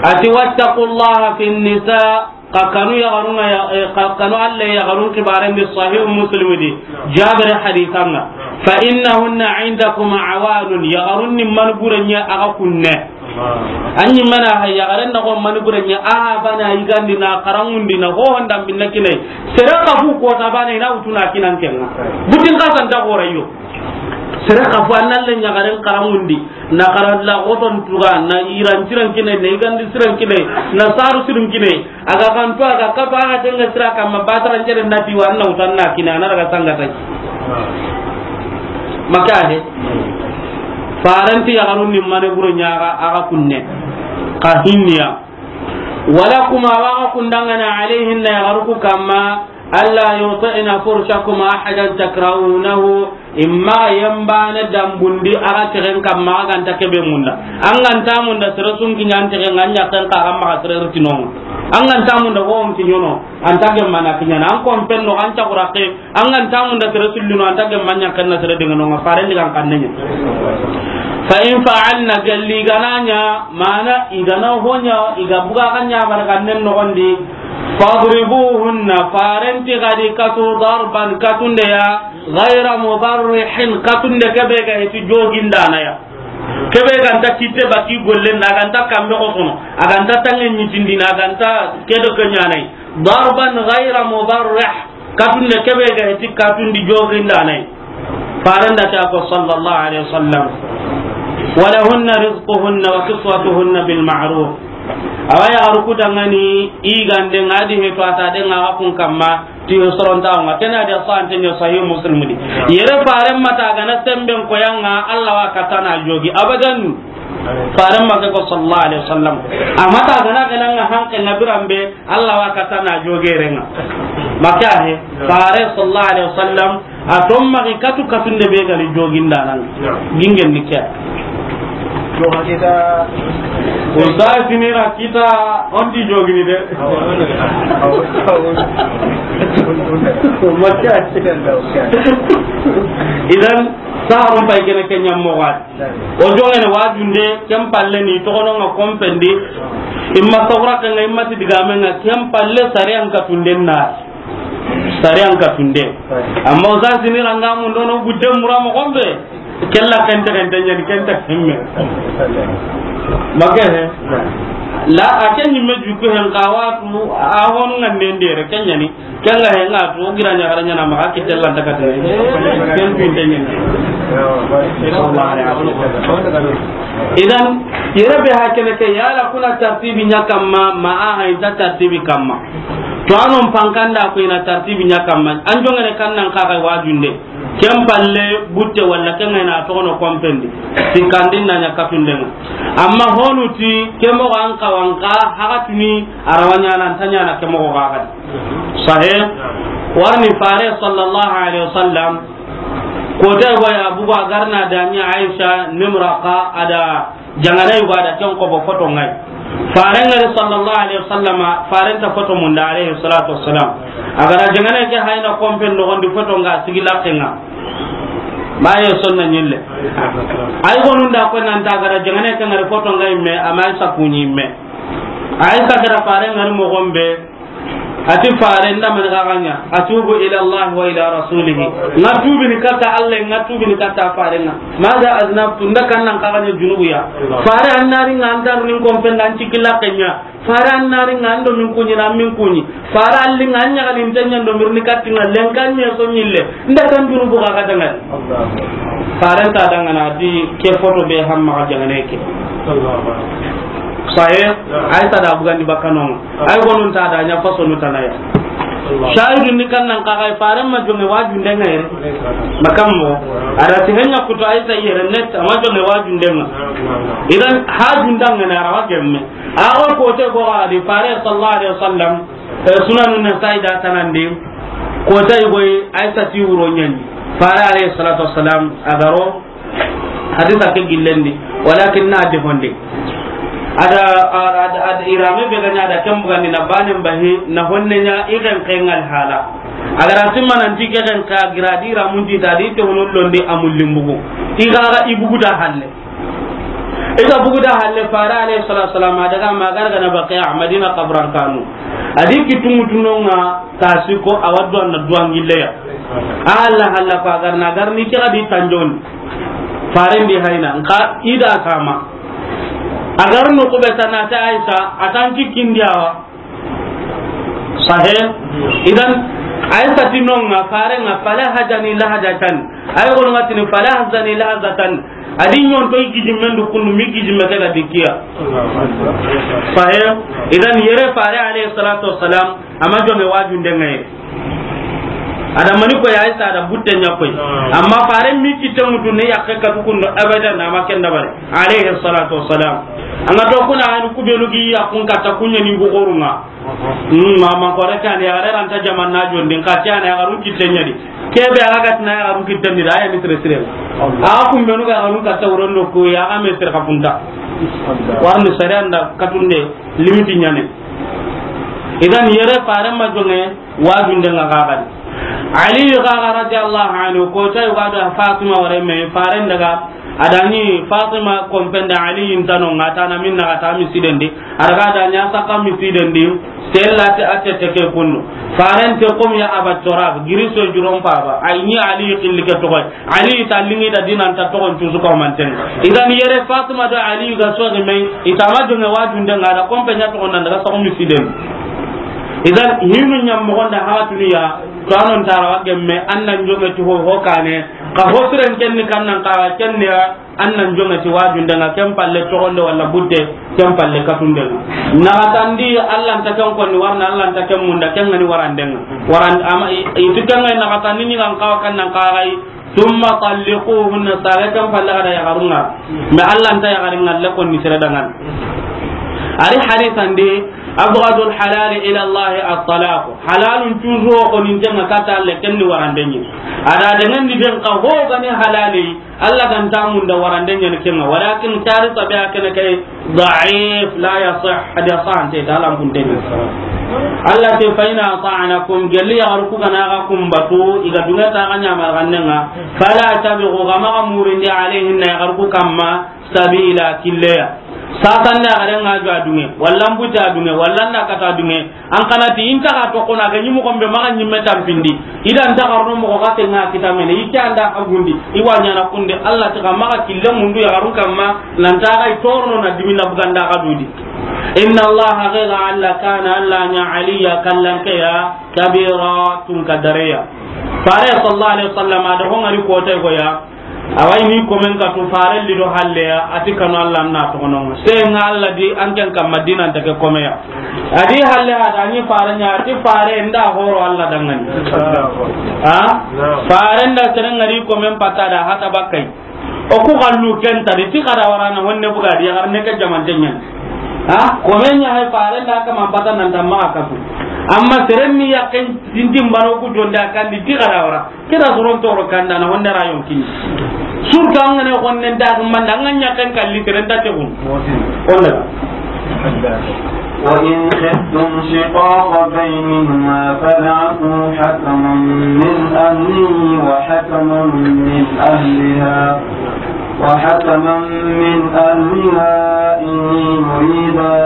Ati, "Wattaqullaha fin nisa." Xa kanu yaxarun ŋa ya, eh, xa kanu Alla yaxarun xibaaren di Sahih Muslim di, Jabir hadisan ŋa. "Fa innahunna indakum awanun," yaxarun ni mani gure ɲa a ga kunne. An ɲi mana ha yaxaren na ko mani gure ɲa a bana yigandi na xaranŋundi na ho honda binna kinai. Sere xafu kota bana i na wutu na kinan ken ŋa. Butin xasan ta xorayo. Sere xafu an na le ɲaxaren xaranŋundi. Na xara la xoton tuga, na iran siran kine, na igandi siran kine, na saru sirin kine. A ga xanto, a ga kato, a ga tenga sira kamma, batara ncere na ti wa na wutan na kine, a na daga sanga tai. Maka he. Faranti yaxarun ni mane buru ɲa a ga, a ga kunne. Xa hinniya. Wala kuma wa ga kundangana alayhinna yaxaru ku kamma, "Alla yuti'na furshakum ahadan takrahunahu," imma yembane dambundi a ga tegen kamma a ga nta kebe munda. An ga nta munda sere sun kiɲa an tegen an ɲa ken xa ga maxa sere riti no. An ga nta munda ho on kiɲono, an ta gemma na kiɲana, an kon penno, an ta xuraqe, an ga nta munda sere sullino, an ta gemma ɲa ken na sere dingano ŋa, faren digan kanne ɲa. Fa in fa'alna, galli gana ɲa, mana igana ho ɲa, iga buga ga ɲa mara gannen no gondi, fadribuhunna, farenti gadi katu darban katunde ya, ghayra mubarrihin, katunde kebe ga heti jogindana ya. Kebe ga nta kitte baki gollen da, a ga nta kambe ko sono, a ga nta tangen ɲitindina, a ga nta kedo ke ɲanai. Darban ghayra mubarrih, katunde kebe ga heti katundi jogindana ya. Farenda ta ko sallallahu alaihi wasallam. Walahunna rizquhunna wa kiswatuhunna bil ma'ruf. Awa yaxaru ku dangani, i gande ŋa di heto a ta de ŋa kun kamma, ti soronta ŋa. Kena de sante ɲa Sahih Muslim di. Yere faren mata gana semben koyanga, Alla wa katana jogi. Abadan. Faren ma ke ko sallallahu alaihi wasallam. Amata gana gana ŋa hanke na birambe, Alla wa katana jogi renga. Maka he, fare sallallahu alaihi wasallam. A to magi katu katunde be gani jogindana. Naam. Gingen ni ke. To hakita. Ko sa sinira kita on ti jogini de. Awa. Awa. Awa. Makka. Idan, saharun pay kene ke ɲammo wadi. O jongene wajunde, ken palle ni toxono ŋa kompendi. Imma sawra ke ŋa, imma ti digame ŋa, ken palle sariyan katunden na. Sariyan katunde. Amma o sa sini ranga mun dono gudde mura mo gombe. Kella kente kente ɲani kenta kemme. Maka he. La a ke ɲimme jukku hen xawatu a honu ŋa nende re ke ɲani. Kenga he ŋa tu gira ɲa gara ɲana ma ki tella daga te. Ken tu inte ɲani. Idan yere be ha kene ke yala kuna tartibi ɲa kamma ma a ha inta tartibi kamma. To anon pankanda ko ina tartibi ɲa kamma. An jongene kannan ka ga wajunde. Ken palle butte walla ken ŋa ina toxono kompendi. Sikkandin na ɲa katundenga. Amma honu ti ke moxo an kawanka haxatuni a rawa ɲana an ta ɲana ke moxo ga xadi. Sahe. Warni fare sallallahu alaihi wasallam. Kote go ya bugo a garna dani Aisha nimraqa ada jangana yugo ada ken ko bo foto ŋa yi. Faren ŋa ri sallallahu alaihi wasallama, faren ta foto munda alaihi salatu wassalam. A gara jangana ke hayna kompen no gondi foto ŋa sigi lakke ŋa. Maye sonna ɲille. Ay gonun da ko nan ta gara jangana ke ŋa ri foto ŋa imme, ama Aisha kuɲi imme. Aisha gara faren ŋa ri mo gombe. Ati fare nda man gaganya, atubu ila Allah wa ila rasulih. Nga tubi ni kata Allah, nga tubi ni kata fare nga. Maza aznabtu, nda kan nan gaganya junubu ya. Fare annari nga antar nin kompen dan cikila kenya. Fare annari nga ando min kunyi na min kunyi. Fare alli nga anya kalin tanya ndo mirni katti nga lenkanye so nyille. Nda kan junubu ga kata nga. Fare ta danga na di ke foto be hamma ga jangane ke. Saye, ay ta da bugandi bakano. Ay gonun ta da ɲa faso nu tanaya. Shahidun ni kan nan ka ga faren ma jonge wajunde nga yere. Makammo. Ada ti henya kuto ay ta yere net ama jonge wajunde nga. Idan hajun danga na rawa gemme. Awa ko te go ga di fare sallallahu alaihi wasallam. Eh, Sunanun Nasa'i da tanandi. Ko tay goy Aisha ti wuro ɲani. Fare alaihi salatu wassalam agaro. Hadisa ke gillendi, walakin na de honde. Ada, ada, ada irame be ganya da kan bugandi na banen bahi, na honne nya iren kengal hala. Agara timma nan ti ke kan ka gira di ramun ti ta di te hono londe amul limbugu. Igara ibugu da halle. I ga bugu da halle, Faare alayhi salatu wasalam, a daga ma gargana Baqiya, Madina kaburan kanu. A di kittunŋu tunonŋa, ta siko, a wa duwa na duwa ngilleya. A halla halla ko a garna, a garni kira di tanjon. Faaren di hayna, nka i da kama. A garnu kube ta na ta Aisha, a tan ki kindiyawa. Sahe. Idan, ay fatinonŋa, Faarenŋa, fala hajani lahajatan. Ay gonŋa tini, fala hazani lahazatan. A di ɲonto i gijimmen du kundu, mi gijimme ke ga dikkiya. Sahe. Idan, yere Faare alayhi salatu wasalam, a ma jonŋe wajundenŋa ye. A da mani ko ya Aisha da butte ɲa koy. Amma Faaren mi kitte mutu ne yakke katu kundu abadan, a ma ken dabari. Alayhi salatu wasalam. An ga to kuna hanu kubenu gi yakkun katta kunya ni bugorunŋa. Hmm, ma, ma ko reka ni, a ga ranta jaman na jondi, nka ti a na ya garun kitte ɲa di. Kebe a ga tina ya garun kitte ni da, ya ni sire sire. A kumbenu ga garun katta wuron do ko ya ga me sire kapunta. Warni sare anda katunde limiti ɲane. Idan yere Faaren ma jonŋe wajundenŋa ga gadi. Ali ga ga radiyallahu anhu, ko tay ga do Fatima ware me, Faaren daga, a da ni Fatima kompenda Ali intano ŋa ta na minna ga ta misidendi. A daga da ɲa saka misidendi, sella te a tete ke kunnu. Faaren te kom ya Aba Turab, giriso juron paba. Ay ni Ali xilli ke toxoy. Ali ta lingi da dinan ta toxon cusu ko manten. Idan yere Fatima do Ali ga so de me, i ta ma jonŋe wajundenŋa da kompe ɲa toxon nan daga so misiden. Idan hinu ɲam mo gonda hawatunu ya, to anon tara wa gemme, an nan jonŋe ti ho, ho kane, ka ho siren ken ni kan nan ka wa ken ni ya, an nan jonŋe ti wajundenŋa, ken palle toxonde walla butte, ken palle katundenŋa. Naxatandi, Allah nta ken konni warna, Allah nta ken munda, ken ŋa ni warandenŋa. Waran-, ama i, i tu ken ŋa naxatandi ni kan kawa kan nan kawa yi, thumma talliquhunna, sare ken palle ga da yaxarun ŋa. Mais Allah nta yaxarin ŋa le konni sere dangan. Ari hadisandi, abghadul halali ila Allah at-talaq. Halalun cuusu xo nin tenŋa kata le ken ni warandenŋa. A da dangan di ben ka ho ga ni halali. Allah ga nta munda warande ɲani kenŋa, walakin tari tabi'a kene kay da'if, la yasih, hadiya sahante ta, Allah mbunteni. Allah te, fa in ata'nakum, gelli yaxaru ku ga na ga kumbatu, i ga dunŋe ta ga ɲamar gannenŋa, fala tabghu, ga maxa murindi, alayhinna, yaxaru ku kamma, sabila, killeya. Sasanne a garen ŋa jo a dunŋe, walla mbuti a dunŋe, walla nda kata dunŋe, an kana ti inta ga toxo na ga ɲi moxo be maxa ɲimme tampindi, i da nta xarno moxo ga te ŋa kita mene, i ke anda a gundi, i wa ɲana kunde, Allah ti ga maxa kille mundu yaxarun kamma, nanta ga i torono na dimina buganda ga dudi. Inna Allah, haqiqa Allah, kana Allah ɲa, aliya, kallankeya, kabira, tunka dareya. Fare sallallahu alaihi wasallam, a da ho ŋari kotay goya, Awa i ni komen katu, fare li do halle ya, a ti kanu Allah na toxono ŋa. Se ŋa Allah di an ken kamma dinan ta ke kome ya. A di halle ha da ni fare ɲa, a ti fare nda horo Allah danŋani. Ha? Fare nda sere ŋari komen pata da hata bakai. O ku xallu ken ta di ti xara warana honne buga di ya xarne ke jaman tenyen. Ha? Komen ɲa he fare nda kama pata nan ta maxa katu. Amma sere ni ya ken dindin bano ku jonda kan di ti xara wara. Kira soron toro kanda na honne rayon kini. Surtout an ga ne honne nda manda, an ga ɲa ken kalli tere nda te kun. Honne. وإن خفتم شقاق بينهما فابعثوا حكما من أهله وحكما من أهلها، وحكما من أهلها إن يريدا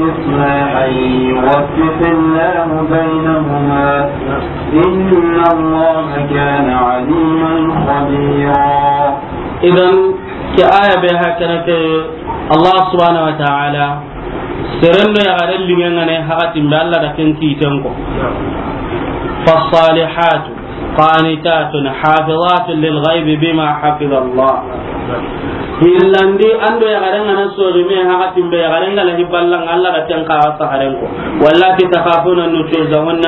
إصلاحا يوفق الله بينهما، إن الله كان عليما خبيرا. Idan, ke aya be hakana ke, Allah subhanahu wa ta'ala, seren do yaxaren liŋen ŋa ne, hakatin be Allah da ken kiten ko. فالصالحات قانتات حافظات للغيب بما حفظ الله. Hillandi an do yaxaren ŋa na sori me, hakatin be yaxaren ŋa la hiballan Allah da ken ka saharen ko. واللاتي تخافون نشوزهن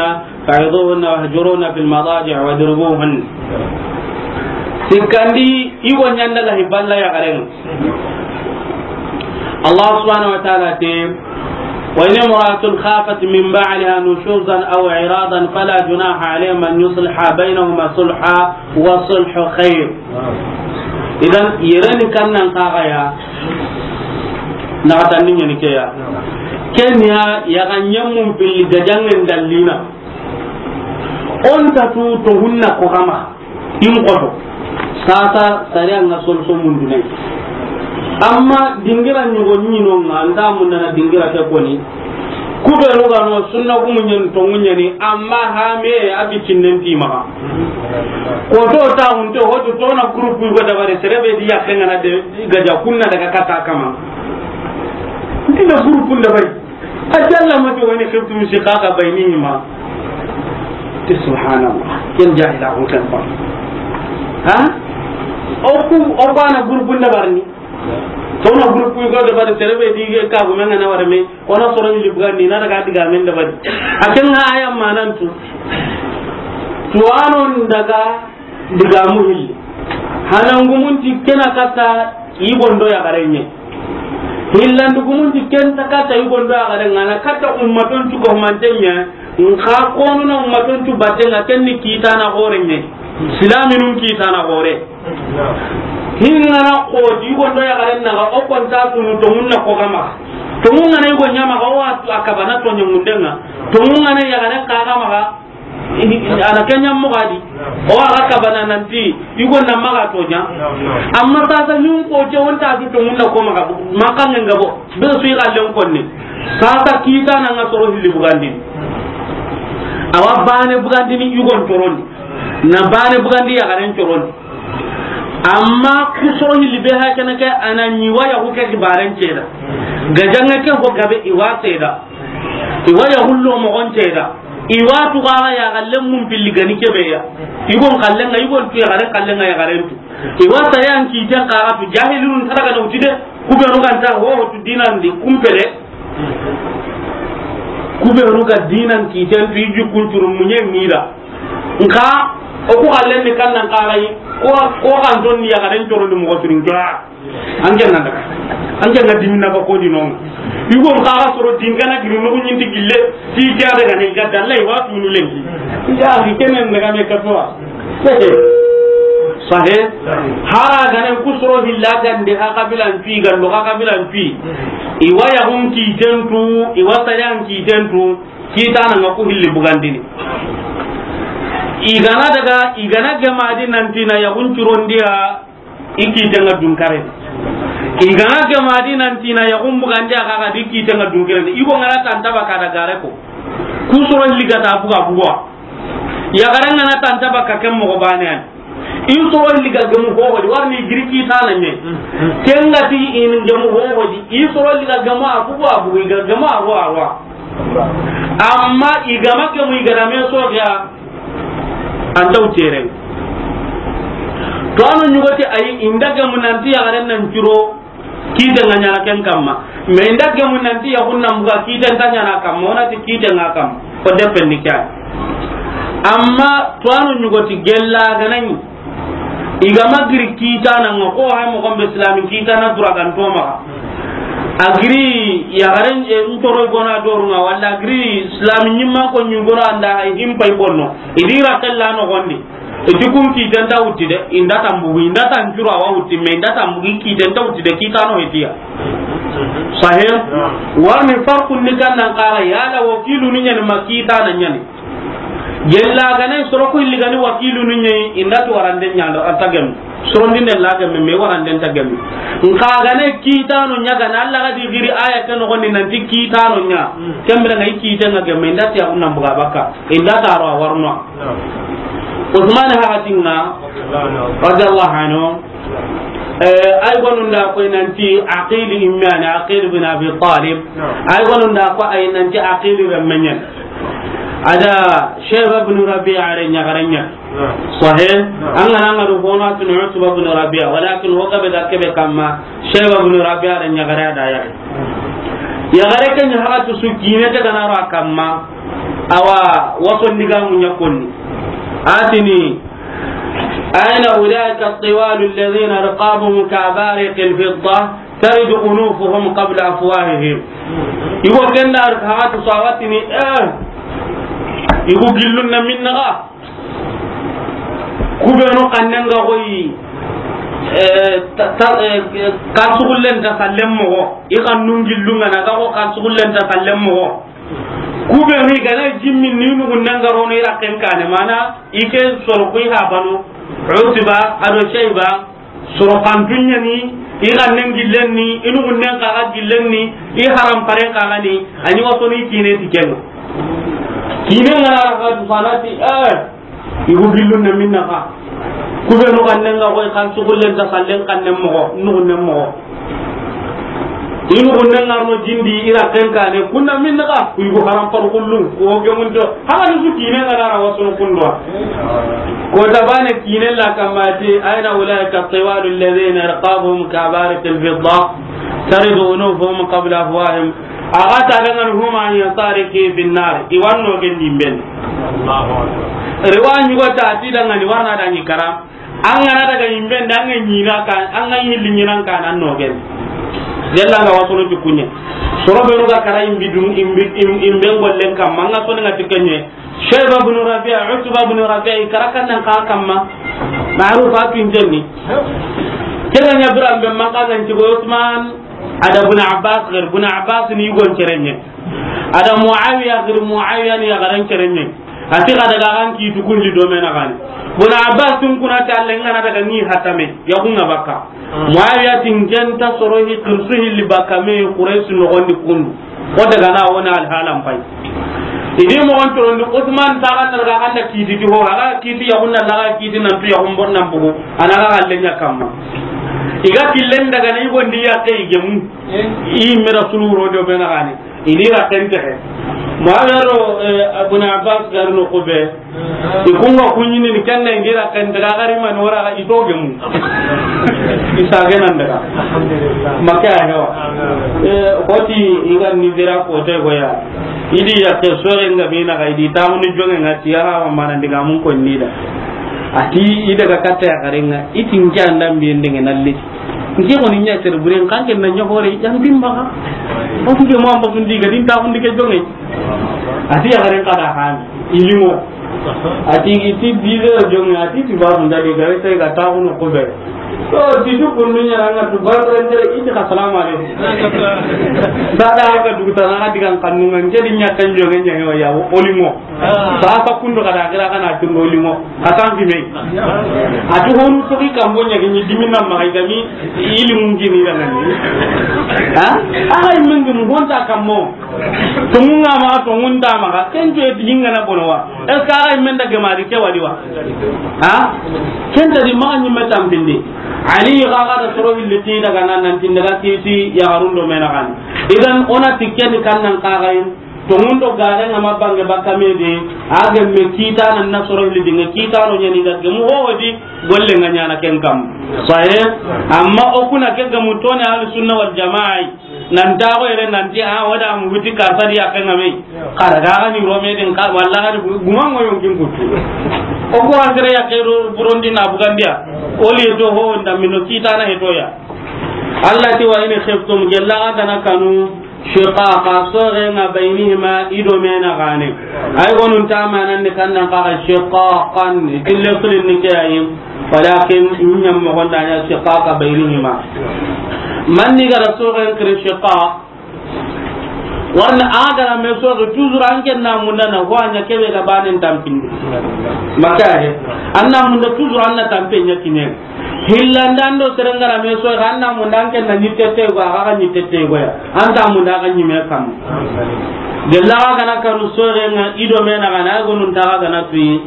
فعظوهن واهجروهن في المضاجع واضربوهن. Sikkandi, i go ɲanda la hiballa yaxaren. Allah subhanahu wa ta'ala te, وإن امرأة خافت من بعلها نشوزا أو إعراضا فلا جناح عليهما أن يصلحا بينهما صلحا والصلح خير. Idan, yereni kannan kaxaya, naxatandi ɲani keya. Kenya, yaxa ɲemmun pilli gajangen dallina. On ta tu to hunna ko xama. In xoto. Sasa, sariya ŋa solution mundunay. Amma dingira ɲogo ɲi no ŋa, an ta mundana dingira ke koni. Ku be nu ga no sunna gumu ɲen to ŋuɲeni, amma ha me a bi cinnen ti maxa. Ko to ta hunte ho to na groupe ko dabari, sere be di ya ke ŋa na de gaja kunna daga kata kama. Ndina groupe dabari. A jalla ma to wani khiftum shiqaqa bainihima. Ti subhanallah. Ken jahila ko kan ba. Ha? O ku, o bana groupe dabari ni. To na groupe ko dabari, sere be di ke ka gumen ŋa na wara me. Ona soro ni libga ni na daga diga men dabari. A ken ŋa aya manantu. Tuwano daga diga mu hilli. Hanangumun ti ken na kata i gondo ya garenye. Hillandugumun ti ken ta kata i gondo ya garen ŋa na kata ummaton tu ko mantenye. Nka konu na ummaton tu batenga ken ni kitana gorenye. Silaminun kitana gore. Hingana ko di gondo ya garen na o konta tunu to munna ko gama. To mun ŋa na i go ɲa maxa o wa tu a kabana to ɲa mundenga. To mun ŋa na ya garen ka gama ga. Ana kenya mo gadi. O aga kabana nanti i go na maxa to ɲa. Amma sasa ɲun ko je wonta du to munna ko maxa. Maxa ngenga bo. Be su i ga len konne. Sasa kitana ŋa soro hilli bugandini. Awa bane bugandini i gon torondi. Na bane bugandi ya garen torondi. Amma ku soro hilli be ha kana ke ana ni waya ku ke kibaren ceda. Gajanga ke ho gabe i wa seda. I waya hullo mo gon ceda. I wa tu ga ya galle mun pilli gani kebe ya. I gon kallenga, i gon tu ya garen kallenga ya garen tu. I wa sayan kiten ka tu jahilun taraga na utide. Ku be no ganta ho tu dinandi kumpele. Ku be no ga dinan kiten tu i jukun turu munye mira. Nka o ku xallen ni kannan xaxayi, ko, ko kan ton ni ya garen toro ni mo turin ga. An ken nan daga. An ken na dimina ba ko di non. Yugo xaxa soro dingana giri no ɲin di gille. Ti ga daga ne ga dalla i wa tunu lenki. Ya ri kenen daga me ka to. Sahe. Hara ganen ku soro hilla gande ha kabilan pi, gallo ha kabilan pi. I wa ya hun kiten tu, i wa sayan kiten tu. Kitana ŋa ku hilli bugandini. I gana daga, i gana gemadi nanti na yaxun curondiya, i kitenga dunkare. I gana gemadi nanti na yaxun bugandiya, kaga di kitenga dunkare. I go ngana tanta baka da gare ko. Ku soro liga ta buga buga. Ya garanga na tanta baka ken mo bane an. I soro liga gemu hohodi, warni giri kitana ɲe. Kenga ti in gemu hohodi, i soro liga gemu a bugu a bugu, i ga gemu a ho a wa. Amma i gama gemu i gana me soxya, an taw tere. To ano ɲugoti ayi, inda gemu nanti ya garen nan curo, kite nga ɲana ken kamma. Me inda gemu nanti yaxun nan buga kite nta ɲana kamma, wona ti kite nga kamma. Ko depen ni kya. Amma to anu ɲugoti gella ganani. I gama giri kitana nga ko hay mo gombe islami kitana dura gan to maxa. A giri ya garen e ntoro gona doru nga wala giri islami nyimma ko nyugora anda hay himpa i bonno. Idira kella no gondi. Iti kun kiten ta wutti de, inda tambugu, inda tancuro awa wutti, me inda tambugu kiten ta wutti de, kitano hetiya. Sahe? Warni farqun ni kan nan kara, yala wakilu ni ɲani ma kitana ɲani. Gella gane soro ku illi gani wakilu ni ɲani, inda tu warande ɲando, anta gem. Soro ndinde la gem, me warande ta gem. Nka gane kitano ɲa gana, Allah gadi giri aya ke no goni nanti kitano ɲa. Kembere ngai kiten nga gem, inda tiya unna buga baka, inda taro warno. Usmane hakatinga, radiyallahu anhu, eh, ay gonunda koy nanti Aqil immane, Aqil bin Abi Talib. Ay gonunda ko ay nanti Aqil remmenyen. Ada Shayba bin Rabi'a re ɲagaranya. Sahih. An ga na an ga do hono tun Utba bin Rabi'a, walakin ho gabe da kebe kamma Shayba bin Rabi'a re ɲagare da ya. Yagare ken hakatu su kine te kana ra kamma. Awa, waso ndiga munya konni. Atini, aina ulaika at-tiwal alladhina riqabuhum ka abariq al-fidda, taridu unufuhum qabla afwahihim. Igo kenda ar hatu sawatini, eh. Igo gillun na minna ga. Kubenu kannenga koyi, eh, ta, ta, eh, kasugullen ta sallen mogo. I kannun gillun ga na ga ko kasugullen ta sallen mogo. Kubenu i gana jimmi ni nugun nangarono i rakken kane mana i ke soro kuy ha banu Utba ado Shayba Soro xantun ɲa ni, i xannen gillen ni, i nuxunnen xaxa gillen ni, i haram paren xaxa ni, a ɲi wasoni kine ti ken ŋa. Kine ŋa na raga du fana ti, eh, i gu gillun na minna xa. Ku be nu xannen ga xoy xan suxullen ta xallen xannen moxo, nuxunnen moxo. I nuxunnen ŋa ro jindi i ra ken kane, kun na minna xa, ku i gu haram par kullu, ku o gemunto. Haga ni su kine ŋa na ra wasono kundwa. Ko tabane kine la kamati, aina ulaika tiwalu alladhina irqabuhum kabarikil fidda, taridu unufuhum qabla afwahihim. Aga ta dangan huma an yasari ki finnar. Iwanno gen dimben. Riwa nyugo ta ti dangani warna dangi kara. An ga na daga imben da an ga ɲina ka, an ga yilli ɲinan ka nan no gen. Yalla ga wasono ti kunye. Soro be no ga kara imbi dum, imbi, im-, imben gollen kam, an ga soni ga tikenye. Shayba ibn Rabi'a, Utba ibn Rabi'a, i kara kan nan ka kamma. Ma'ruf a kin jenni. Kira nya biran be man kan nan ti go Usman, ada Ibn Abbas, gar Ibn Abbas ni gon cerenye. Ada Muawiya, gar Muawiya ni garan cerenye. Ati ga daga kan ki tukundi do mena gani. Ibn Abbas tun kuna ta lenga na daga ni hatame, ya kunga baka. Muawiya tin genta soro hi kirsu hilli baka me Quraysh no gondi kundu. Ko daga na wona alhalan pai. Idi mo on torondi Usman ta kan daga kan da kiti ti ho, aga kiti ya kunna daga kiti nan tu ya kun bon nan bugu. Ana ga galle nya kamma. Iga killen daga na i gondi ya kai gemu. I me Rasul ro do be na gani. Ini ra ken texe. Muawiya ro, eh, Ibn Abbas gar no kube. I kunga kunyini ni kenda ingira ken daga gari man wara i to gemu. Isa genan daga. Alhamdulillah. Maka ya hewa. Eh, hoti inga ni bira ko te goya. Idi ya ke sore nga bina ga idi tamu ni jonge nga tiya ha mana diga mun ko ni da. Ati ida ga katta ya garenga itin janda mbi ndenge nalli. Nke ko ni nya ter buren kan ken na nya hore yan bimba. O ke mo amba sundi ga din ta undi ke jonge. Ati ya garen kada han. Ilimo. Ati iti bize jonge ati ti ba munda de gare sai ga ta uno ko be. To ti du kunnu nya nga tu ba ran de iti ka salamu alaikum. Sada ga du ta na digan kannu ngan jadi nya kan jonge nya wa ya olimo. Sa sa kundo kada kira kana tungo limo. Katan bi me. Ati honu to ki kambo nya ni dimin na ma ga mi ilimu gini da nan. Ha? Aga imengi mu honta kammo. Tungunga ma tungunta ma ka. Ken to e dinga na bono wa. Es ka aga imenda ge mari ke wadi wa. Ha? Ken ta di ma ni metam bindi. Ali ga ga da soro hilli ti daga nan nan tin daga kiti ya garundo mena kan. Idan ona tikkeni kan nan ka ga yin. Tongundo gare nga ma bange bakka me de, a gemme kitana na soro hili dinga kitano nyani ga gemu ho di golle nga nyana ken kam. Sahe, amma o kuna ke gemu tone ahlu sunna wal jamaa. Nan ta ko ere nan ti a wada mu huti ka sadi ya kan ngame. Kada ga ga ni rome den ka walla ga guma ngo yonkin kutu. O ko andre ya kero burondi na bugandia. O li to ho nda mino kitana he to ya. Allah ti wa in khiftum gella ga na kanu. Shiqaqa, soxenga, baynihima, i do mena gane. Ay gonun ta manan ni kannan kaga shiqaqan, kille sulin ni ke ayi. Walakin, nyam mo gonda nya shiqaqa baynihima. Man ni gara soxen kire shiqaq. Warna agara me soxe toujours an ken na munda na ho anya kebe ga banen tampindi. Makahe. Anna munda toujours anna tampe nya kinen. Hillanda ndo serengara me so ga anna munda an ken na nyitte te go aga nyitte te go ya. Anta munda ga nyime kam. Gella ga na karu sorenga i do mena ga na gonun ta ga na tuyi.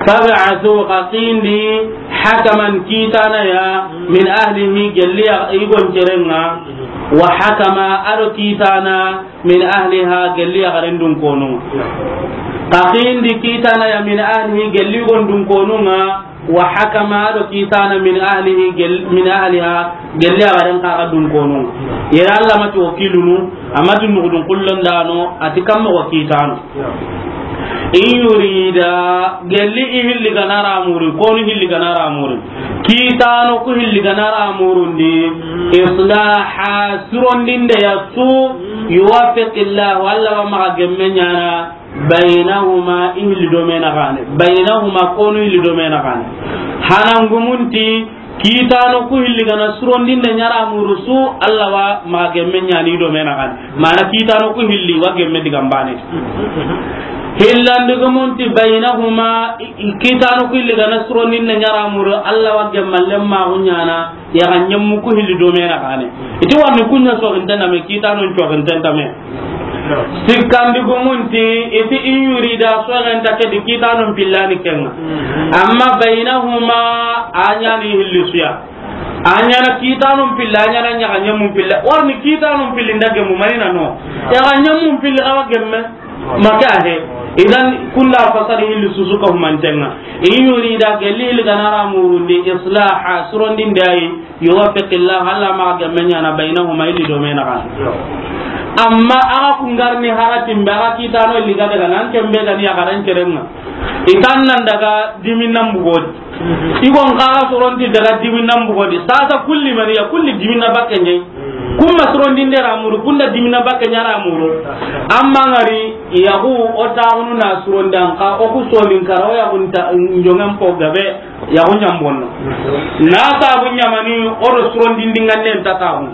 Fab'athu, xa xindi, hakaman, kitana ya, min ahlihi, gelli ya i gon cerenga, wa hakama, ado kitana, min ahliha, gelli ya garen dun konu. Xa xindi kitana ya min ahlihi, gelli gon dun konunga, wa hakama, ado kitana min ahlihi, gel-, min ahliha, gelli ya garen kaga dun konu. Yera Allah mati wakilunu, amati nugudun kullon dano, ati kamma wa kitano. In yurida, gelli i hilli gana ramuri, konu hilli gana ramuri. Kitano ku hilli gana ramurundi, islaha, surondinde ya su, yuwaffiqillahu, Allah wa maga gemme nyana, baynahuma, i hilli domena gane. Baynahuma, konu hilli domena gane. Hanangumunti, kitano ku hilli gana surondinde nyara murusu, Allah wa maga gemme nyani domena gane. Mana kitano ku hilli wa gemme digambane. Hillandigumun ti baynahuma, i, i kitanu killi gana surondin ne ɲara muru, Alla wa gemmallen maxu ɲana, yaxa ɲemmu ku hilli do me na xane. I ti warni kuɲa soxinten da me, kitanun coxinten da me. Sikkandigumun ti, i ti in yurida soxenta ke di kitanun pillani kenga. Amma baynahuma, a ɲani hilli suya. A ɲana kitanun pilla, a ɲana ɲaxa ɲemmun pilla. Warni kitanun pilli nda gemmu manina no. Yaxa ɲemmun pilli xawa gemme. Maka he. Idan kunda fasari hilli susu ka humantenga. In yurida gelli hilli ganara murundi islaha surondin dayi. Yuwaffiqillah, Alla ma gemme ɲana baynahuma illi do me na xane. Amma aga kungarni haratin be aga kitano illi ga daga nan kembe gani ya garan kerenga. Itan nan daga diminan bugodi. Igon kaga soronti daga diminan bugodi. Sasa kulli mani ya kulli dimina bakke ɲe. Kumma surondinde ra muru, kunda dimina bakke ɲa ra muru. Amma ngari yahu o taxunu na surondan ka, o ku sonin kara, o yahun ta, njongen po gabe, yahu ɲambonno. Na sabu ɲamani, o do surondindi ngande nta taxunu.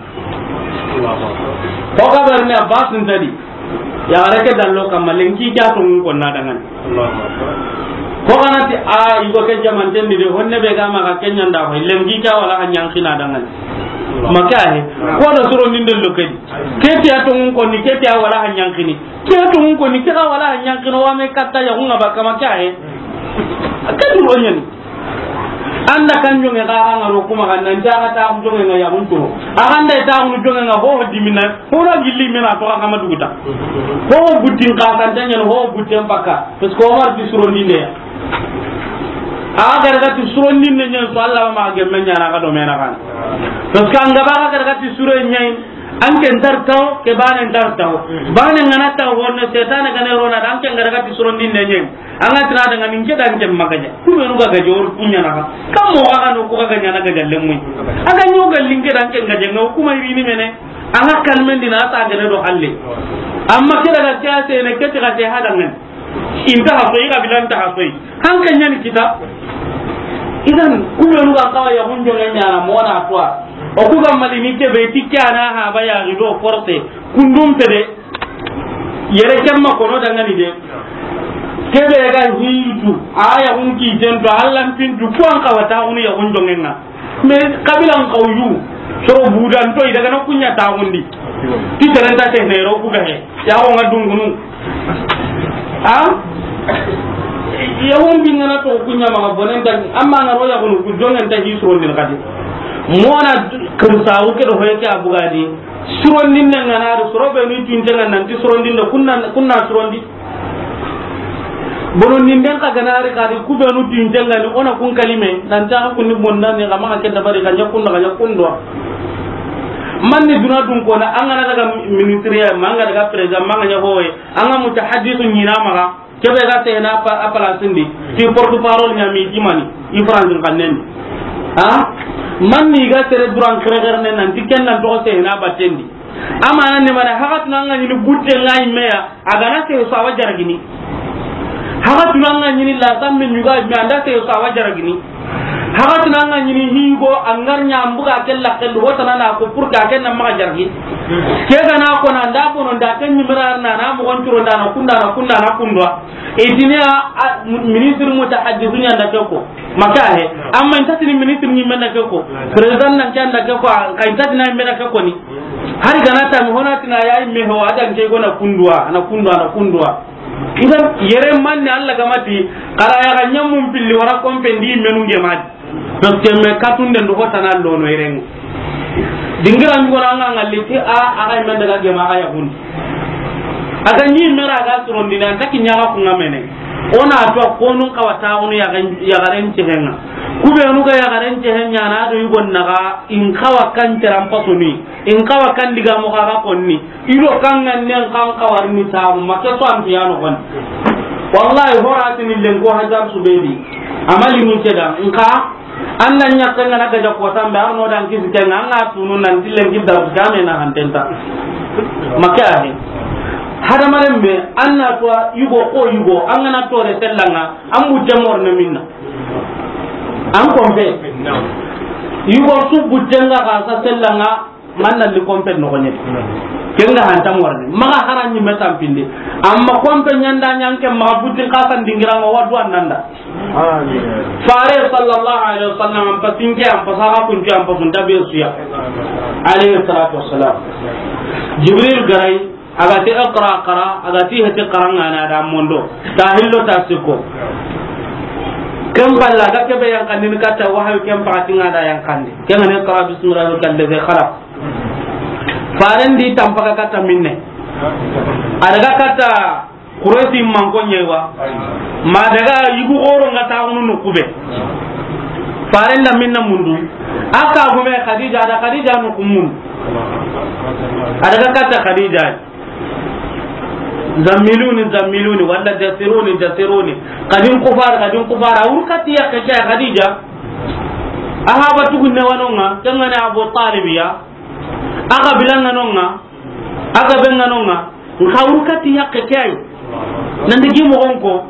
O gabe ne Abbas ntadi. Yaxare ke dallo kamma, lenki ke a tonŋun konna dangani. Ko ganati a yigo ke jamanten di de, honne be ga maxa ke ɲanda, ho lenki ke a wala xa ɲankina dangani. Maka he. Ko do surondinde lo ke di. Ke ti a tonŋun konni, ke ti a wala xa ɲankini. Ke a tonŋun konni, ke ga wala xa ɲankino, wa me katta yaxun ŋa ba kama ke he. Ke duro ɲani. Anda kan jonge ga ga ngaro kuma kan nan jaga ta jonge nga ya mun to. Aganda ta mun jonge nga ho dimina. Ho na gilli mina to kama duguta. Ho butin ka kan tanya ho butin paka. Parce que Omar di surondinde ya. A ga daga ti surondinde ɲen so Alla ma gemme ɲana ga do me na kan. Parce que an ga ba ga daga ti suronde ɲen. An ke ntar taw, ke bane ntar taw. Bane ngana taw, honne setane gane rona, an ke ngara ga ti surondinde ɲen. An ga tira daga nin ke dan ke magaja. Ku be nu ga gaja or kunya na. Kam mo ga no ku ga ɲana gaja lemmu. Aga nyo ga linke dan ke gaja no kuma irini mene. An ga kalmen dina ta gane do halle. Amma ke daga ke a se ne ke ti ga se hadangan. Inta ha soyi, kabila nta ha soyi. Hanka ɲani kita. Idan, ku be nu ga kawa ya hunjo ne ɲana mona twa. O ku ga mali ni ke be ti kana ha ba ya rido force. Kundum pede. Yere kemma kono dangani de. Ke be ga hitu. A ya hun ki jento, Alla pintu, ku an kawa ta hunu ya hunjo ngenga. Mais kabila n kawju, soro budan to, i daga na kunya taxundi. Ti terenta te nero ku gahe. Ya o nga dungunu. A? Ya won bi ngana to kunya ma bonen tan, amma na ro ya kunu ku jongen ta hi surondin kadi. Mona kirsa o ke do hoye ke abugadi. Surondin ngana do soro be ni tunte ngana nanti surondin da kunna, kunna surondi. Bono ninden ka ganari kadi ku be nu tinten ngani ona kun kalime, nan ta kun ni bonna ni kama ka kenda bari ka ɲa kun da ka ɲa kun do. Man ni duna dun ko na an ga na daga ministre ya, man ga daga président, man ga ɲa hoye, an ga mutahaddisu ɲina maga, ke be ga te na pa, a place ndi, ti porte-parole ɲa mi dimani, i France kan nen. Ha? Man ni ga tere duran kere kere nen nan ti ken nan to se na batendi. Amana ne mana, haxatuna an ga ɲini butte nga yimme ya, a ga na sehe so a wa jaragini. Haxatuna an ga ɲini lasambe ɲuga yimme, an da sehe so a wa jaragini. Haxatuna an ga ɲini higo, an gar ɲa an buga ke laxen do, hotana na ko pour que a ken na maxa jaragi. Ke ga na ko na nda bono nda ken ɲimira na, na moxon curo nda na kunda na kunda na kundwa. Itini a, a, ministre mutahaddisu ɲa nda ke ko. Maka he. Amma inta tini ministre ni mena ke ko. Président nan kan da ke ko, ka inta tina mena ke ko ni. Hari gana ta mi hona tina ya me ho adan ke gona kundwa, na kundwa, na kundwa. Idan yere man ni Alla ga mati, kara ya ga ɲamun pilli wara kompe ndi menu nge mati. Parce que me katunde ndo hotana lono yere. Dingira ngora nga ngalli ti a, a ga men daga gema a ya hun. A ga ni mera ga surondini an ta ki ɲaga ku nga mene. Ona to ko nun kawa ta onu ya ga, ya garen cehenga. Ku be nu ga ya garen cehen ɲana do yugon naga in kawa kan teran pasoni. In kawa kan diga mo ga konni. Ido kan ngan nen kan kawar ni ta ma ke so an biya no kon. Wallahi horatini lenko hajar subedi. Amali mun ceda. In ka An na ɲa ke nga na gaja ko tambe, ar no dan kisi ke nga, an ga tunu nan ti lenki da game na hantenta. Maka he. Hadamaren be, an na to yugo ko yugo, an ga na to re sellanga, an butte mor na minna. An kompe. Yugo su butte nga ga sa sellanga, Manna li kompe noxoɲe. Ken ga hanta morni. Maxa hara ɲi me tampindi. Amma kompe ɲanda ɲanke maxa butin xasan dingira ngo wadu annanda. Fare sallallahu alaihi wasallam, an pasinke, an pasaxa kuncu, an pasunta be suya. Alayhi salatu wassalam. Jibril garai, a ga ti iqra, qara, a ga ti heti qarangana da mondo. Ta hillo ta sikko. Ken balla ga kebe yankandi ni kata wahayu ken pakati ngada yankandi. Ken ne iqra bismi rabbikal ladhi khalaq. Faren di tampaka kata minne. A daga kata Kuresi manko ɲewa. Ma daga yugu xoro nga taxunu nu kube. Faren da minna mundu. Aka gume Khadija da Khadija nu kumun. A daga kata Khadija. Zammiluni, zammiluni, wala dassiruni, dassiruni. Kadin kufar, kadin kufar. A wurkati ya kake Khadija. Aha batugu ne wanonga. Kengane Abu Talib ya. Aka bilanga nonga. A ga be ŋa no ŋa, nxa wurkati yakke ke ay. Nandi gi moxon ko,